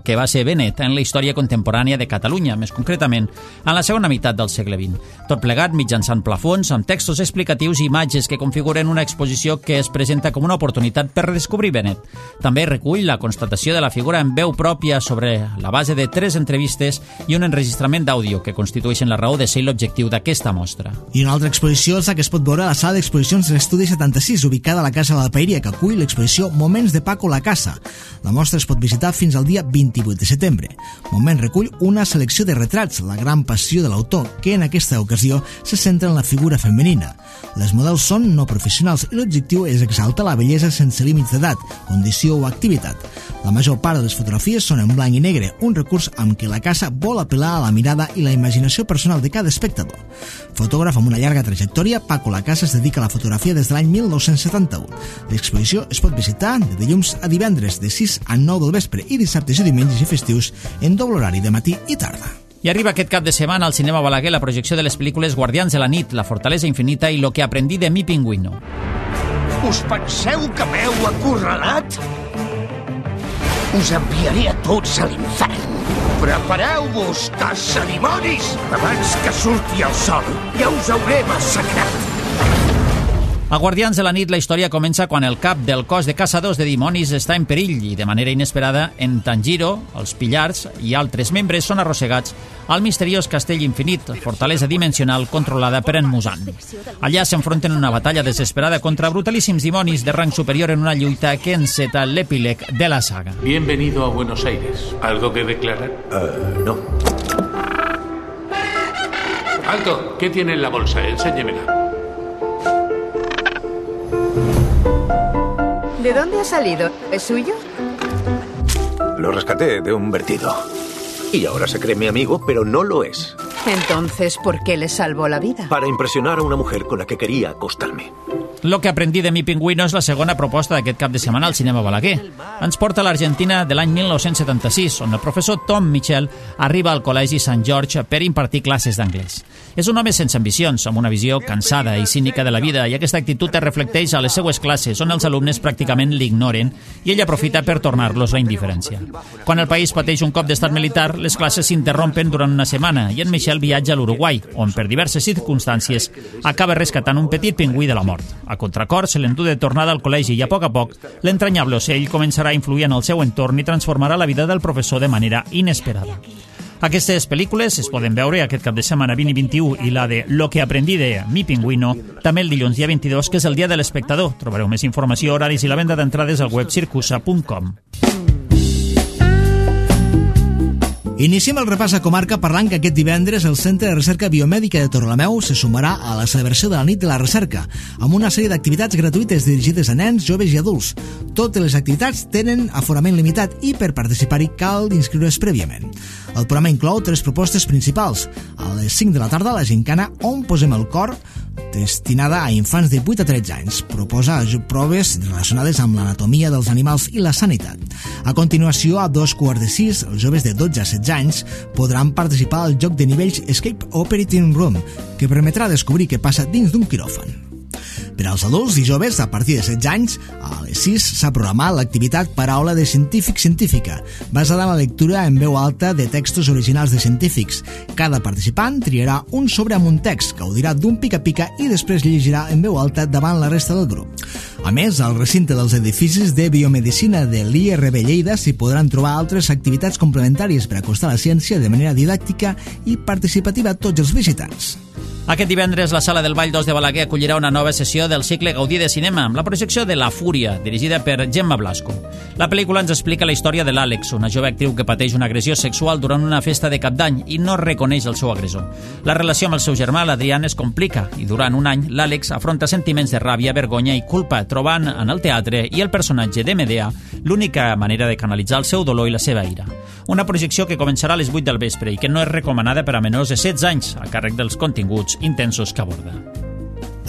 que va ser Benet en la història contemporània de Catalunya, més concretament en la segona meitat del segle XX. Tot plegat mitjançant plafons, amb textos explicatius i imatges que configuren una exposició que es presenta com una oportunitat per redescobrir Benet. També recull la constatació de la figura en veu pròpia sobre la base de 3 entrevistes i un enregistrament d'àudio que constitueixen la raó de ser l'objectiu d'aquesta mostra. I una altra exposició és la que es pot veure a la sala d'exposicions de l'Estudi 76, ubicada a la Casa de la Paeria, que acull l'exposició Moments de Paco la Casa. La mostra es pot visitar fins al dia 28 de setembre. Moment recull una selecció de retrats, la gran passió de l'autor, que en aquesta ocasió se centra en la figura femenina. Les models són no professionals i l'objectiu és exaltar la bellesa sense límits d'edat, condició o activitat. La major part de les fotografies són en blanc i negre, un recurs amb què la casa vol apel·lar a la mirada i la imaginació personal de cada espectador. Fotògraf amb una llarga trajectòria, Paco la Casa es dedica a la fotografia des de l'any 1971. L'exposició es pot visitar de dilluns a divendres de 6 a 9 del vespre i dissabtes i diumenges i festius en doble horari de matí i tarda. I arriba aquest cap de setmana al Cinema Balaguer la projecció de les pel·lícules Guardians de la nit, La fortalesa infinita i Lo que aprendí de mi pingüino. Us penseu que m'heu acorralat? Us enviaré a tots a l'infern. Prepareu-vos, caçadimonis! Abans que surti el sol, ja us hauré massacrat. A Guardians de la nit, la història comença quan el cap del cos de caçadors de dimonis està en perill i, de manera inesperada, en Tanjiro, els Pillars i altres membres són arrossegats al misteriós castell infinit, fortalesa dimensional controlada per en Muzan. Allà s'enfronten en una batalla desesperada contra brutalíssims dimonis de rang superior en una lluita que enceta l'epíleg de la saga. Bienvenido a Buenos Aires. ¿Algo que declarar? No. ¡Alto! ¿Qué tiene en la bolsa? Enséñemela. ¿De dónde ha salido? ¿Es suyo? Lo rescaté de un vertido. Y ahora se cree mi amigo, pero no lo es. Entonces, ¿por qué le salvó la vida? Para impresionar a una mujer con la que quería acostarme. Lo que aprendí de mi pingüino és la segona proposta d'aquest cap de setmana al cinema Balaguer. Ens porta a l'Argentina de l'any 1976, on el professor Tom Mitchell arriba al Col·legi Sant George per impartir classes d'anglès. És un home sense ambicions, amb una visió cansada i cínica de la vida, i aquesta actitud es reflecteix a les seues classes, on els alumnes pràcticament l'ignoren, i ell aprofita per tornar-los la indiferència. Quan el país pateix un cop d'estat militar, les classes s'interrompen durant una setmana, i en Michel viatja a l'Uruguai, on per diverses circumstàncies acaba rescatant un petit pingüí de la mort. A contracor, se l'endú de tornada al col·legi i a poc l'entranyable ocell començarà a influir en el seu entorn i transformarà la vida del professor de manera inesperada. Aquestes pel·lícules es poden veure aquest cap de setmana 20 i 21 i la de Lo que aprendí de Mi pingüino també el dilluns dia 22, que és el dia de l'espectador. Trobareu més informació, horaris i la venda d'entrades al web circusa.com. Iniciem el repàs a comarca parlant que aquest divendres el Centre de Recerca Biomèdica de Torrelameu se sumarà a la celebració de la nit de la recerca, amb una sèrie d'activitats gratuïtes dirigides a nens, joves i adults. Totes les activitats tenen aforament limitat i per participar-hi cal inscriure's prèviament. El programa inclou 3 propostes principals. A les 5 de la tarda, la gincana On posem el cor, destinada a infants de 8 a 13 anys. Proposa proves relacionades amb l'anatomia dels animals i la sanitat. A continuació, a 2:15, els joves de 12 a 16 anys podran participar al joc de nivells Escape Operating Room, que permetrà descobrir què passa dins d'un quiròfan. Per als adults i joves, a partir de 16 anys, a les 6 s'ha programat l'activitat Paraula de científica, basada en la lectura en veu alta de textos originals de científics. Cada participant triarà un sobre amb un text, gaudirà d'un pica-pica i després llegirà en veu alta davant la resta del grup. A més, al recinte dels edificis de biomedicina de l'IRB Lleida s'hi podran trobar altres activitats complementàries per acostar la ciència de manera didàctica i participativa a tots els visitants. Aquest divendres, la Sala del Ball 2 de Balaguer acollirà una nova sessió del cicle Gaudí de Cinema, amb la projecció de La Fúria, dirigida per Gemma Blasco. La pel·lícula ens explica la història de l'Àlex, una jove actriu que pateix una agressió sexual durant una festa de Cap d'Any i no reconeix el seu agressor. La relació amb el seu germà, l'Adrián, es complica i durant un any l'Àlex afronta sentiments de ràbia, vergonya i culpa, trobant en el teatre i el personatge de Medea l'única manera de canalitzar el seu dolor i la seva ira. Una projecció que començarà a les 8 del vespre i que no és recomanada per a menors de 16 anys, a càrrec dels continguts intensos que aborda.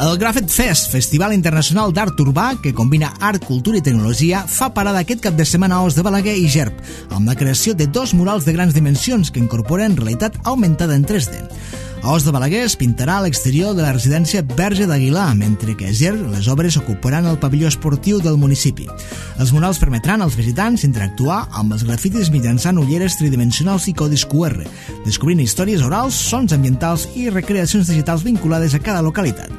El Grafet Fest, Festival Internacional d'Art Urbà, que combina art, cultura i tecnologia, fa parada aquest cap de setmana a Os de Balaguer i Gerb, amb la creació de 2 murals de grans dimensions que incorporen realitat augmentada en 3D. A Os de Balaguer es pintarà a l'exterior de la residència Verge d'Aguilar, mentre que a Gerb les obres ocuparan el pavelló esportiu del municipi. Els murals permetran als visitants interactuar amb els grafitis mitjançant ulleres tridimensionals i codis QR, descobrint històries orals, sons ambientals i recreacions digitals vinculades a cada localitat.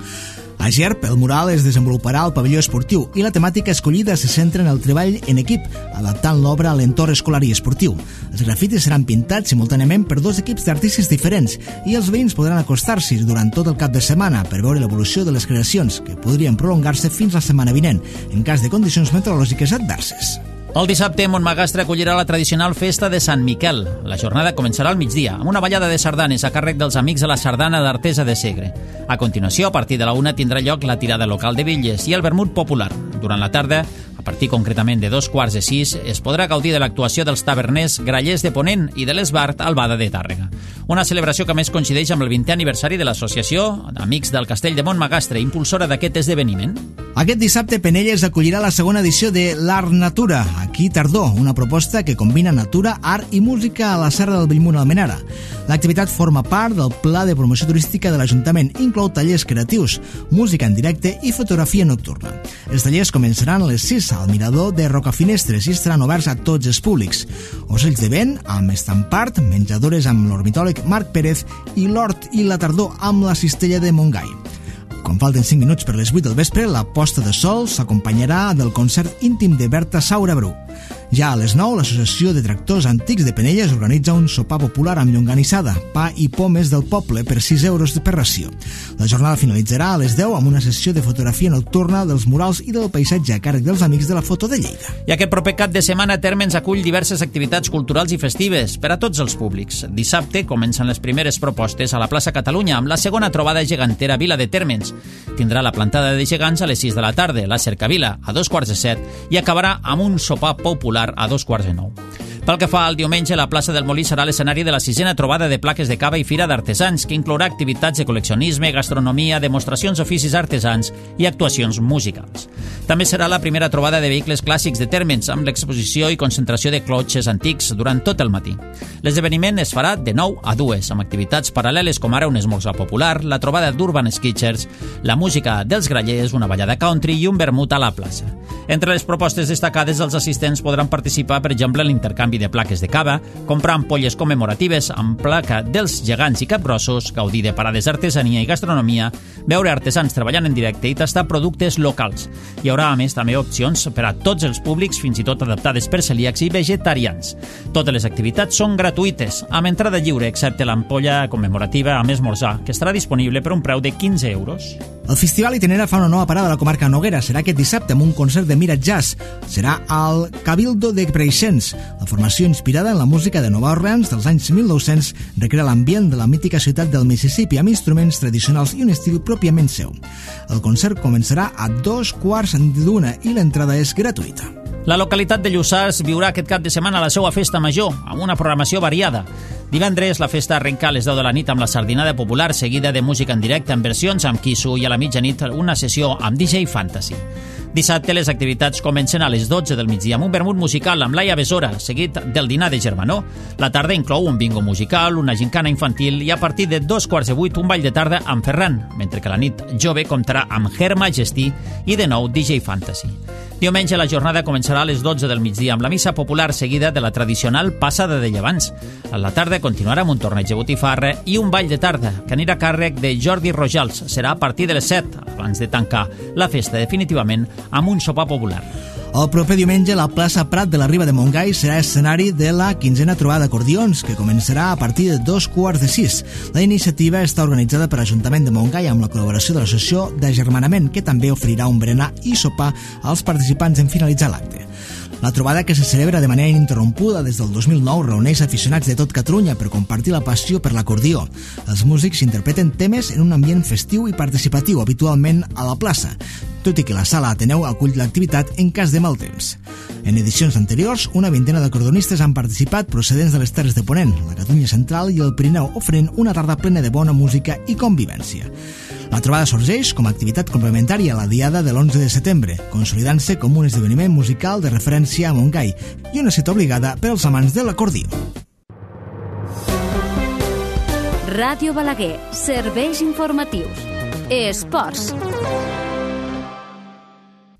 A Gerb, el mural es desenvoluparà al pavelló esportiu i la temàtica escollida se centra en el treball en equip, adaptant l'obra a l'entorn escolar i esportiu. Els grafitis seran pintats simultàniament per 2 equips d'artistes diferents i els veïns podran acostar-s'hi durant tot el cap de setmana per veure l'evolució de les creacions, que podrien prolongar-se fins la setmana vinent, en cas de condicions meteorològiques adverses. El dissabte, Montmagastre acollirà la tradicional festa de Sant Miquel. La jornada començarà al migdia, amb una ballada de sardanes a càrrec dels amics de la sardana d'Artesa de Segre. A continuació, a partir de la 1, tindrà lloc la tirada local de bitlles i el vermut popular. Durant la tarda, a partir concretament de 2:15, es podrà gaudir de l'actuació dels taverners Grallers de Ponent i de l'Esbart Albada de Tàrrega. Una celebració que més coincideix amb el 20è aniversari de l'Associació Amics del Castell de Montmagastre, impulsora d'aquest esdeveniment. Aquest dissabte, Penelles acollirà la segona edició de l'Art Natura, aquí Tardor, una proposta que combina natura, art i música a la Serra del Bellmunt Almenara. L'activitat forma part del Pla de Promoció Turística de l'Ajuntament i inclou tallers creatius, música en directe i fotografia nocturna. Els tallers començaran a les 6 al Mirador de Rocafinestres i estaran oberts a tots els públics. Ocells de vent amb estampart, menjadores amb l'ornitòleg Marc Pérez i l'hort i la tardor amb la cistella de Montgai. Quan falten 5 minuts per les 8 del vespre, la posta de sol s'acompanyarà del concert íntim de Berta Saura Bru. Ja a les 9, l'Associació de Tractors Antics de Penelles organitza un sopar popular amb llonganissada, pa i pomes del poble per 6 euros per ració. La jornada finalitzarà a les 10 amb una sessió de fotografia nocturna dels murals i del paisatge a càrrec dels Amics de la Foto de Lleida. I aquest proper cap de setmana Térmens acull diverses activitats culturals i festives per a tots els públics. Dissabte comencen les primeres propostes a la plaça Catalunya amb la segona trobada gegantera Vila de Térmens. Tindrà la plantada de gegants a les 6 de la tarda, la cercavila a 7:15 i acabarà amb un sopar popular a 8:45. Pel que fa al diumenge, la plaça del Molí serà l'escenari de la 6a trobada de plaques de cava i fira d'artesans, que inclourà activitats de col·leccionisme, gastronomia, demostracions d'oficis artesans i actuacions musicals. També serà la primera trobada de vehicles clàssics de Térmens, amb l'exposició i concentració de clotxes antics durant tot el matí. L'esdeveniment es farà de 9 a 2, amb activitats paral·leles com ara un esmorzar popular, la trobada d'Urban Sketchers, la música dels grallers, una ballada country i un vermut a la plaça. Entre les propostes destacades, els assistents podran participar, per exemple, en l'intercanvi de plaques de cava, comprar ampolles commemoratives amb placa dels gegants i capgrossos, gaudir de parades d'artesania i gastronomia, veure artesans treballant en directe i tastar productes locals. Hi haurà, a més, també opcions per a tots els públics, fins i tot adaptades per celíacs i vegetarians. Totes les activitats són gratuïtes, amb entrada lliure, excepte l'ampolla commemorativa amb esmorzar, que estarà disponible per un preu de 15 euros. El Festival Itinerant fa una nova parada a la comarca Noguera. Serà aquest dissabte amb un concert de Mira Jazz. Serà al Cabildo de Preixens. La formació inspirada en la música de Nova Orleans dels anys 1900 recrea l'ambient de la mítica ciutat del Mississippi amb instruments tradicionals i un estil pròpiament seu. El concert començarà a 2:15 i l'entrada és gratuïta. La localitat de Lluçà viurà aquest cap de setmana la seva festa major, amb una programació variada. Divendres, la festa arrenca a les 10 de la nit amb la sardinada popular, seguida de música en directe en versions amb Kisu, i a la mitjanit una sessió amb DJ Fantasy. Dissabte, les activitats comencen a les 12 del migdia amb un vermut musical amb Laia Besora, seguit del dinar de germanor. La tarda inclou un bingo musical, una gincana infantil i a partir de 7:15 un ball de tarda amb Ferran, mentre que la nit jove comptarà amb Her Majesty i de nou DJ Fantasy. Diumenge la jornada començarà a les 12 del migdia amb la missa popular seguida de la tradicional passada de llevants. A la tarda continuarà amb un torneig de botifarra i un ball de tarda que anirà a càrrec de Jordi Rojals. Serà a partir de les 7, abans de tancar la festa definitivament amb un sopar popular. El proper diumenge, la plaça Prat de la Riba de Montgai serà escenari de la 15a trobada d'acordions, que començarà a partir de 5:15. La iniciativa està organitzada per l'Ajuntament de Montgai amb la col·laboració de l'Associació d'Agermanament, que també oferirà un berenar i sopar als participants en finalitzar l'acte. La trobada, que se celebra de manera ininterrompuda des del 2009, reuneix aficionats de tot Catalunya per compartir la passió per l'acordió. Els músics interpreten temes en un ambient festiu i participatiu, habitualment a la plaça, tot i que la sala Ateneu acull l'activitat en cas de mal temps. En edicions anteriors, una vintena d'acordonistes han participat procedents de les Terres de Ponent, la Catalunya Central i el Pirineu, oferint una tarda plena de bona música i convivència. La trobada sorgeix com a activitat complementària a la diada de l'11 de setembre, consolidant-se com un esdeveniment musical de referència a Montgai i una cita obligada per als amants de l'acordió. Ràdio Balaguer, serveis informatius. Esports.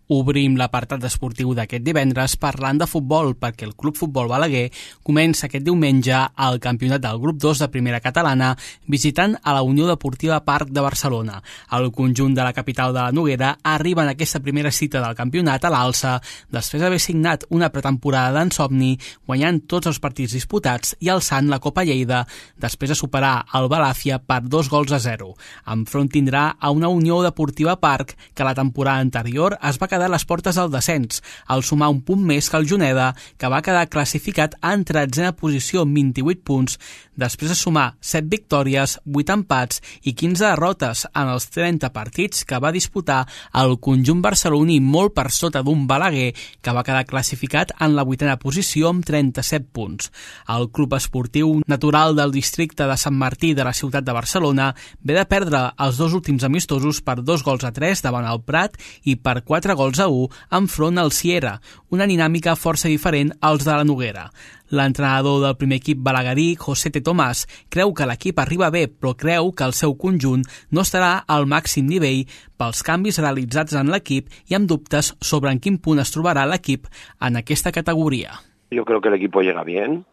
Obrim l'apartat esportiu d'aquest divendres parlant de futbol, perquè el Club Futbol Balaguer comença aquest diumenge al campionat del grup 2 de primera catalana visitant a la Unió Deportiva Parc de Barcelona. El conjunt de la capital de la Noguera arriba en aquesta primera cita del campionat a l'alça després d'haver signat una pretemporada d'ensomni, guanyant tots els partits disputats i alçant la Copa Lleida després de superar el Balàfia per 2-0. Enfront tindrà a una Unió Deportiva Parc que la temporada anterior es va quedar a les portes del descens, al sumar un punt més que el Juneda, que va quedar classificat en 13a posició amb 28 punts, després de sumar 7 victòries, 8 empats i 15 derrotes en els 30 partits que va disputar el conjunt barceloní, molt per sota d'un Balaguer que va quedar classificat en la 8a posició amb 37 punts. El club esportiu natural del districte de Sant Martí de la ciutat de Barcelona ve de perdre els dos últims amistosos per 2-3 davant el Prat i per 4-1 enfront al Sierra, una dinàmica força diferent als de la Noguera. L'entrenador del primer equip balaguerí, José T. Tomàs, creu que l'equip arriba bé, però creu que el seu conjunt no estarà al màxim nivell pels canvis realitzats en l'equip i amb dubtes sobre en quin punt es trobarà l'equip en aquesta categoría. Yo creo que el equipo llega bien,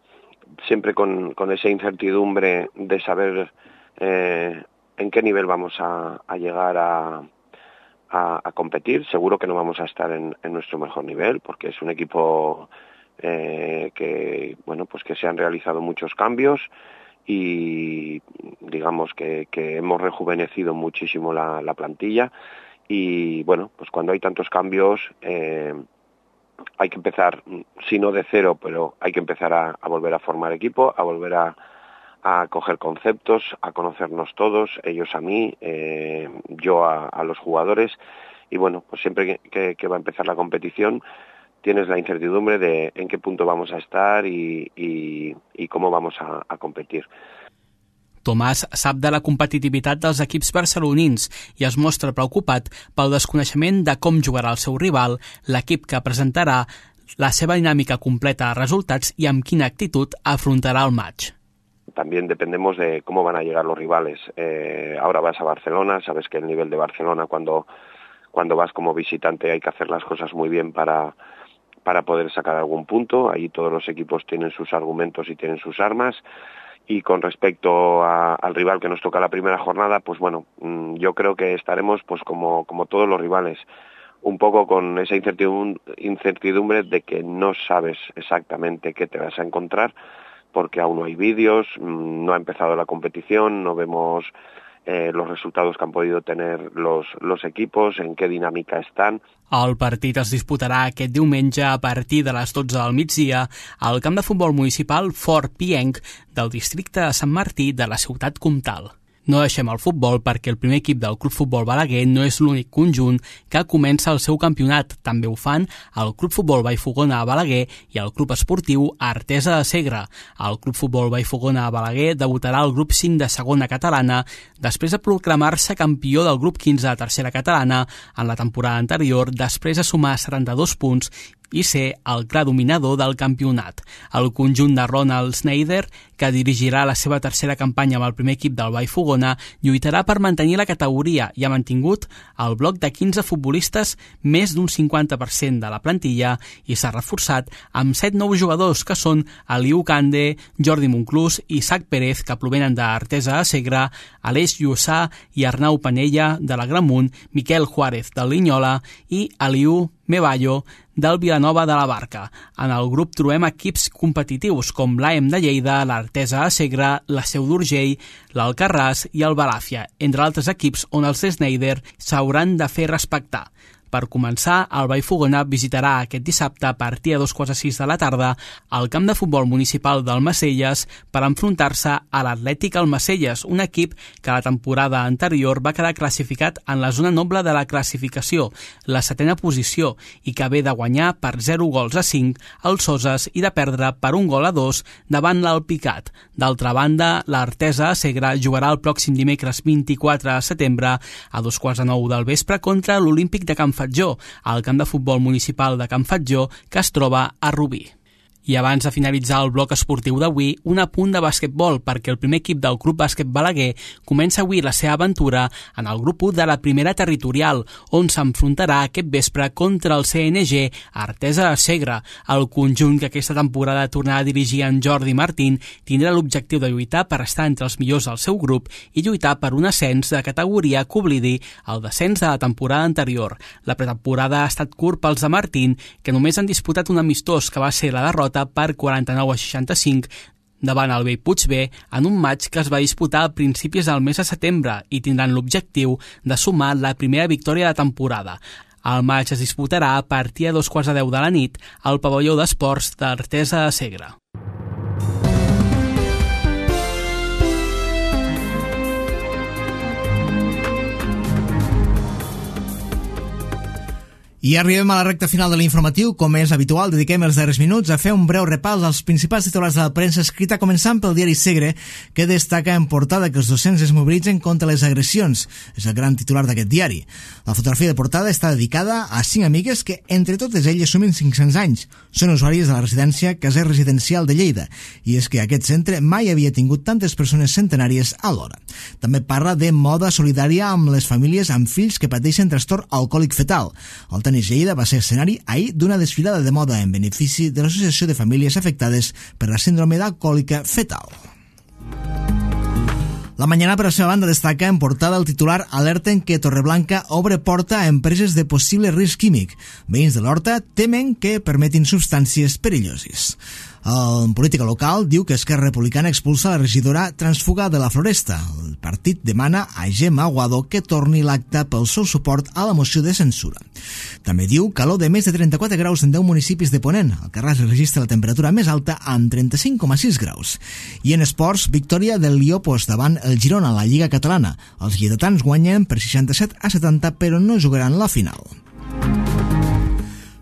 siempre con esa incertidumbre de saber en qué nivel vamos a llegar a competir. Seguro que no vamos a estar en nuestro mejor nivel, porque es un equipo que se han realizado muchos cambios y digamos que hemos rejuvenecido muchísimo la plantilla. Y bueno, pues cuando hay tantos cambios hay que empezar, si no de cero, pero hay que empezar a volver a formar equipo, a volver a coger conceptos, a conocernos todos, ellos a mí, yo a los jugadores. Y bueno, pues siempre que va a empezar la competición tienes la incertidumbre de en qué punto vamos a estar y cómo vamos a competir. Tomàs sap de la competitivitat dels equips barcelonins i es mostra preocupat pel desconeixement de com jugarà el seu rival, l'equip que presentarà, la seva dinàmica completa de resultats i amb quina actitud afrontarà el match. También dependemos de cómo van a llegar los rivales. Ahora vas a Barcelona, sabes que el nivel de Barcelona cuando vas como visitante hay que hacer las cosas muy bien para poder sacar algún punto. Ahí todos los equipos tienen sus argumentos y tienen sus armas. Y con respecto al rival que nos toca la primera jornada, pues bueno, yo creo que estaremos pues como todos los rivales, un poco con esa incertidumbre de que no sabes exactamente qué te vas a encontrar, porque aún no hay vídeos, no ha empezado la competición, no vemos los resultados que han podido tener los equipos, en qué dinámica están. El partit es disputarà aquest diumenge a partir de les 12 del migdia al camp de futbol municipal Fort Pienc del districte de Sant Martí de la ciutat comtal. No deixem el futbol perquè el primer equip del Club Futbol Balaguer no és l'únic conjunt que comença el seu campionat. També ho fan el Club Futbol Vallfogona a Balaguer i el Club Esportiu Artesa de Segre. El Club Futbol Vallfogona a Balaguer debutarà al grup 5 de segona catalana després de proclamar-se campió del grup 15 de tercera catalana en la temporada anterior, després de sumar 72 punts i ser el clar dominador del campionat. El conjunt de Ronald Schneider, que dirigirà la seva tercera campanya amb el primer equip del Vallfogona, lluitarà per mantenir la categoria i ha mantingut el bloc de 15 futbolistes, més d'un 50% de la plantilla, i s'ha reforçat amb 7 nous jugadors, que són Aliu Cande, Jordi Monclús i Isaac Pérez, que provenen d'Artesa de Segre, Aleix Llussà i Arnau Panella, de la Gramunt, Miquel Juárez, del Linyola, i Aliu Mevallo, del Vilanova de la Barca. En el grup trobem equips competitius com l'AEM de Lleida, l'Artesa de Segre, la Seu d'Urgell, l'Alcarràs i el Balàfia, entre altres equips on els Schneider s'hauran de fer respectar. Per començar, el Vallfogona visitarà aquest dissabte a partir de 2:15 de la tarda al camp de futbol municipal del Macelles per enfrontar-se a l'Atlètic Almacelles, un equip que la temporada anterior va quedar classificat en la zona noble de la classificació, la 7a posició, i que ve de guanyar per 0-5 al Soses i de perdre per 1-2 davant l'Alpicat. D'altra banda, l'Artesa de Segre jugarà el pròxim dimecres 24 de setembre a 9:15 del vespre contra l'Olímpic de Can Fatjó, al camp de futbol municipal de Can Fatjó, que es troba a Rubí. I abans de finalitzar el bloc esportiu d'avui, un apunt de basquetbol, perquè el primer equip del Club Bàsquet Balaguer comença avui la seva aventura en el grup 1 de la primera territorial, on s'enfrontarà aquest vespre contra el CNG Artesa de Segre. El conjunt que aquesta temporada tornarà a dirigir en Jordi Martín tindrà l'objectiu de lluitar per estar entre els millors del seu grup i lluitar per un ascens de categoria que oblidi el descens de la temporada anterior. La pretemporada ha estat curt pels de Martín, que només han disputat un amistós, que va ser la derrota per 49-65 davant el Bellpuig B en un match que es va disputar a principis del mes de setembre i tindran l'objectiu de sumar la primera victòria de temporada. El match es disputarà a partir de 2:10 de la nit al pavelló d'esports d'Artesa de Segre. I arribem a la recta final de l'informatiu. Com és habitual, dediquem els darrers minuts a fer un breu repàs als principals titulars de la premsa escrita, començant pel diari Segre, que destaca en portada que els docents es mobilitzen contra les agressions. És el gran titular d'aquest diari. La fotografia de portada està dedicada a 5 amigues que, entre totes elles, sumen 500 anys. Són usuàries de la residència Caser Residencial de Lleida, i és que aquest centre mai havia tingut tantes persones centenàries alhora. També parla de moda solidària amb les famílies amb fills que pateixen trastorn alcohòlic fetal. El Tenis Lleida va ser escenari ahir d'una desfilada de moda en benefici de l'Associació de Famílies Afectades per la Síndrome d'Alcohòlica Fetal. La Mañana, per la seva banda, destaca en portada el titular alerten que Torreblanca obre porta a empreses de possible risc químic. Veïns de l'Horta temen que permetin substàncies perilloses. En política local diu que Esquerra Republicana expulsa la regidora transfuga de la Floresta. El partit demana a Gemma Aguado que torni l'acte pel seu suport a la moció de censura. També diu calor de més de 34 graus en 10 municipis de Ponent. El Carràs registra la temperatura més alta amb 35,6 graus. I en esports, victòria del Liopos davant el Girona a la Lliga Catalana. Els lleidatans guanyen per 67-70, però no jugaran la final.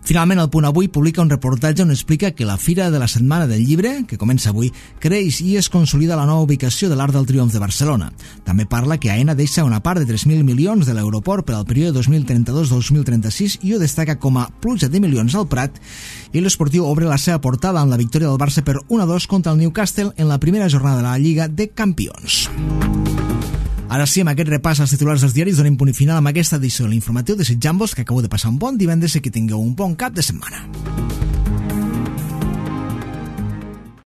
Finalment, el Punt Avui publica un reportatge on explica que la Fira de la Setmana del Llibre, que comença avui, creix i es consolida la nova ubicació de l'Arc del Triomf de Barcelona. També parla que Aena deixa una part de 3.000 milions de l'aeroport per al període 2032-2036 i ho destaca com a pluja de milions al Prat, i l'Esportiu obre la seva portada amb la victòria del Barça per 1-2 contra el Newcastle en la primera jornada de la Lliga de Campions. Ara sí, amb aquest repàs als titulars dels diaris donem punt final amb aquesta edició de l'informatiu. Desitjant-vos que acabeu de passar un bon divendres i que tingueu un bon cap de setmana.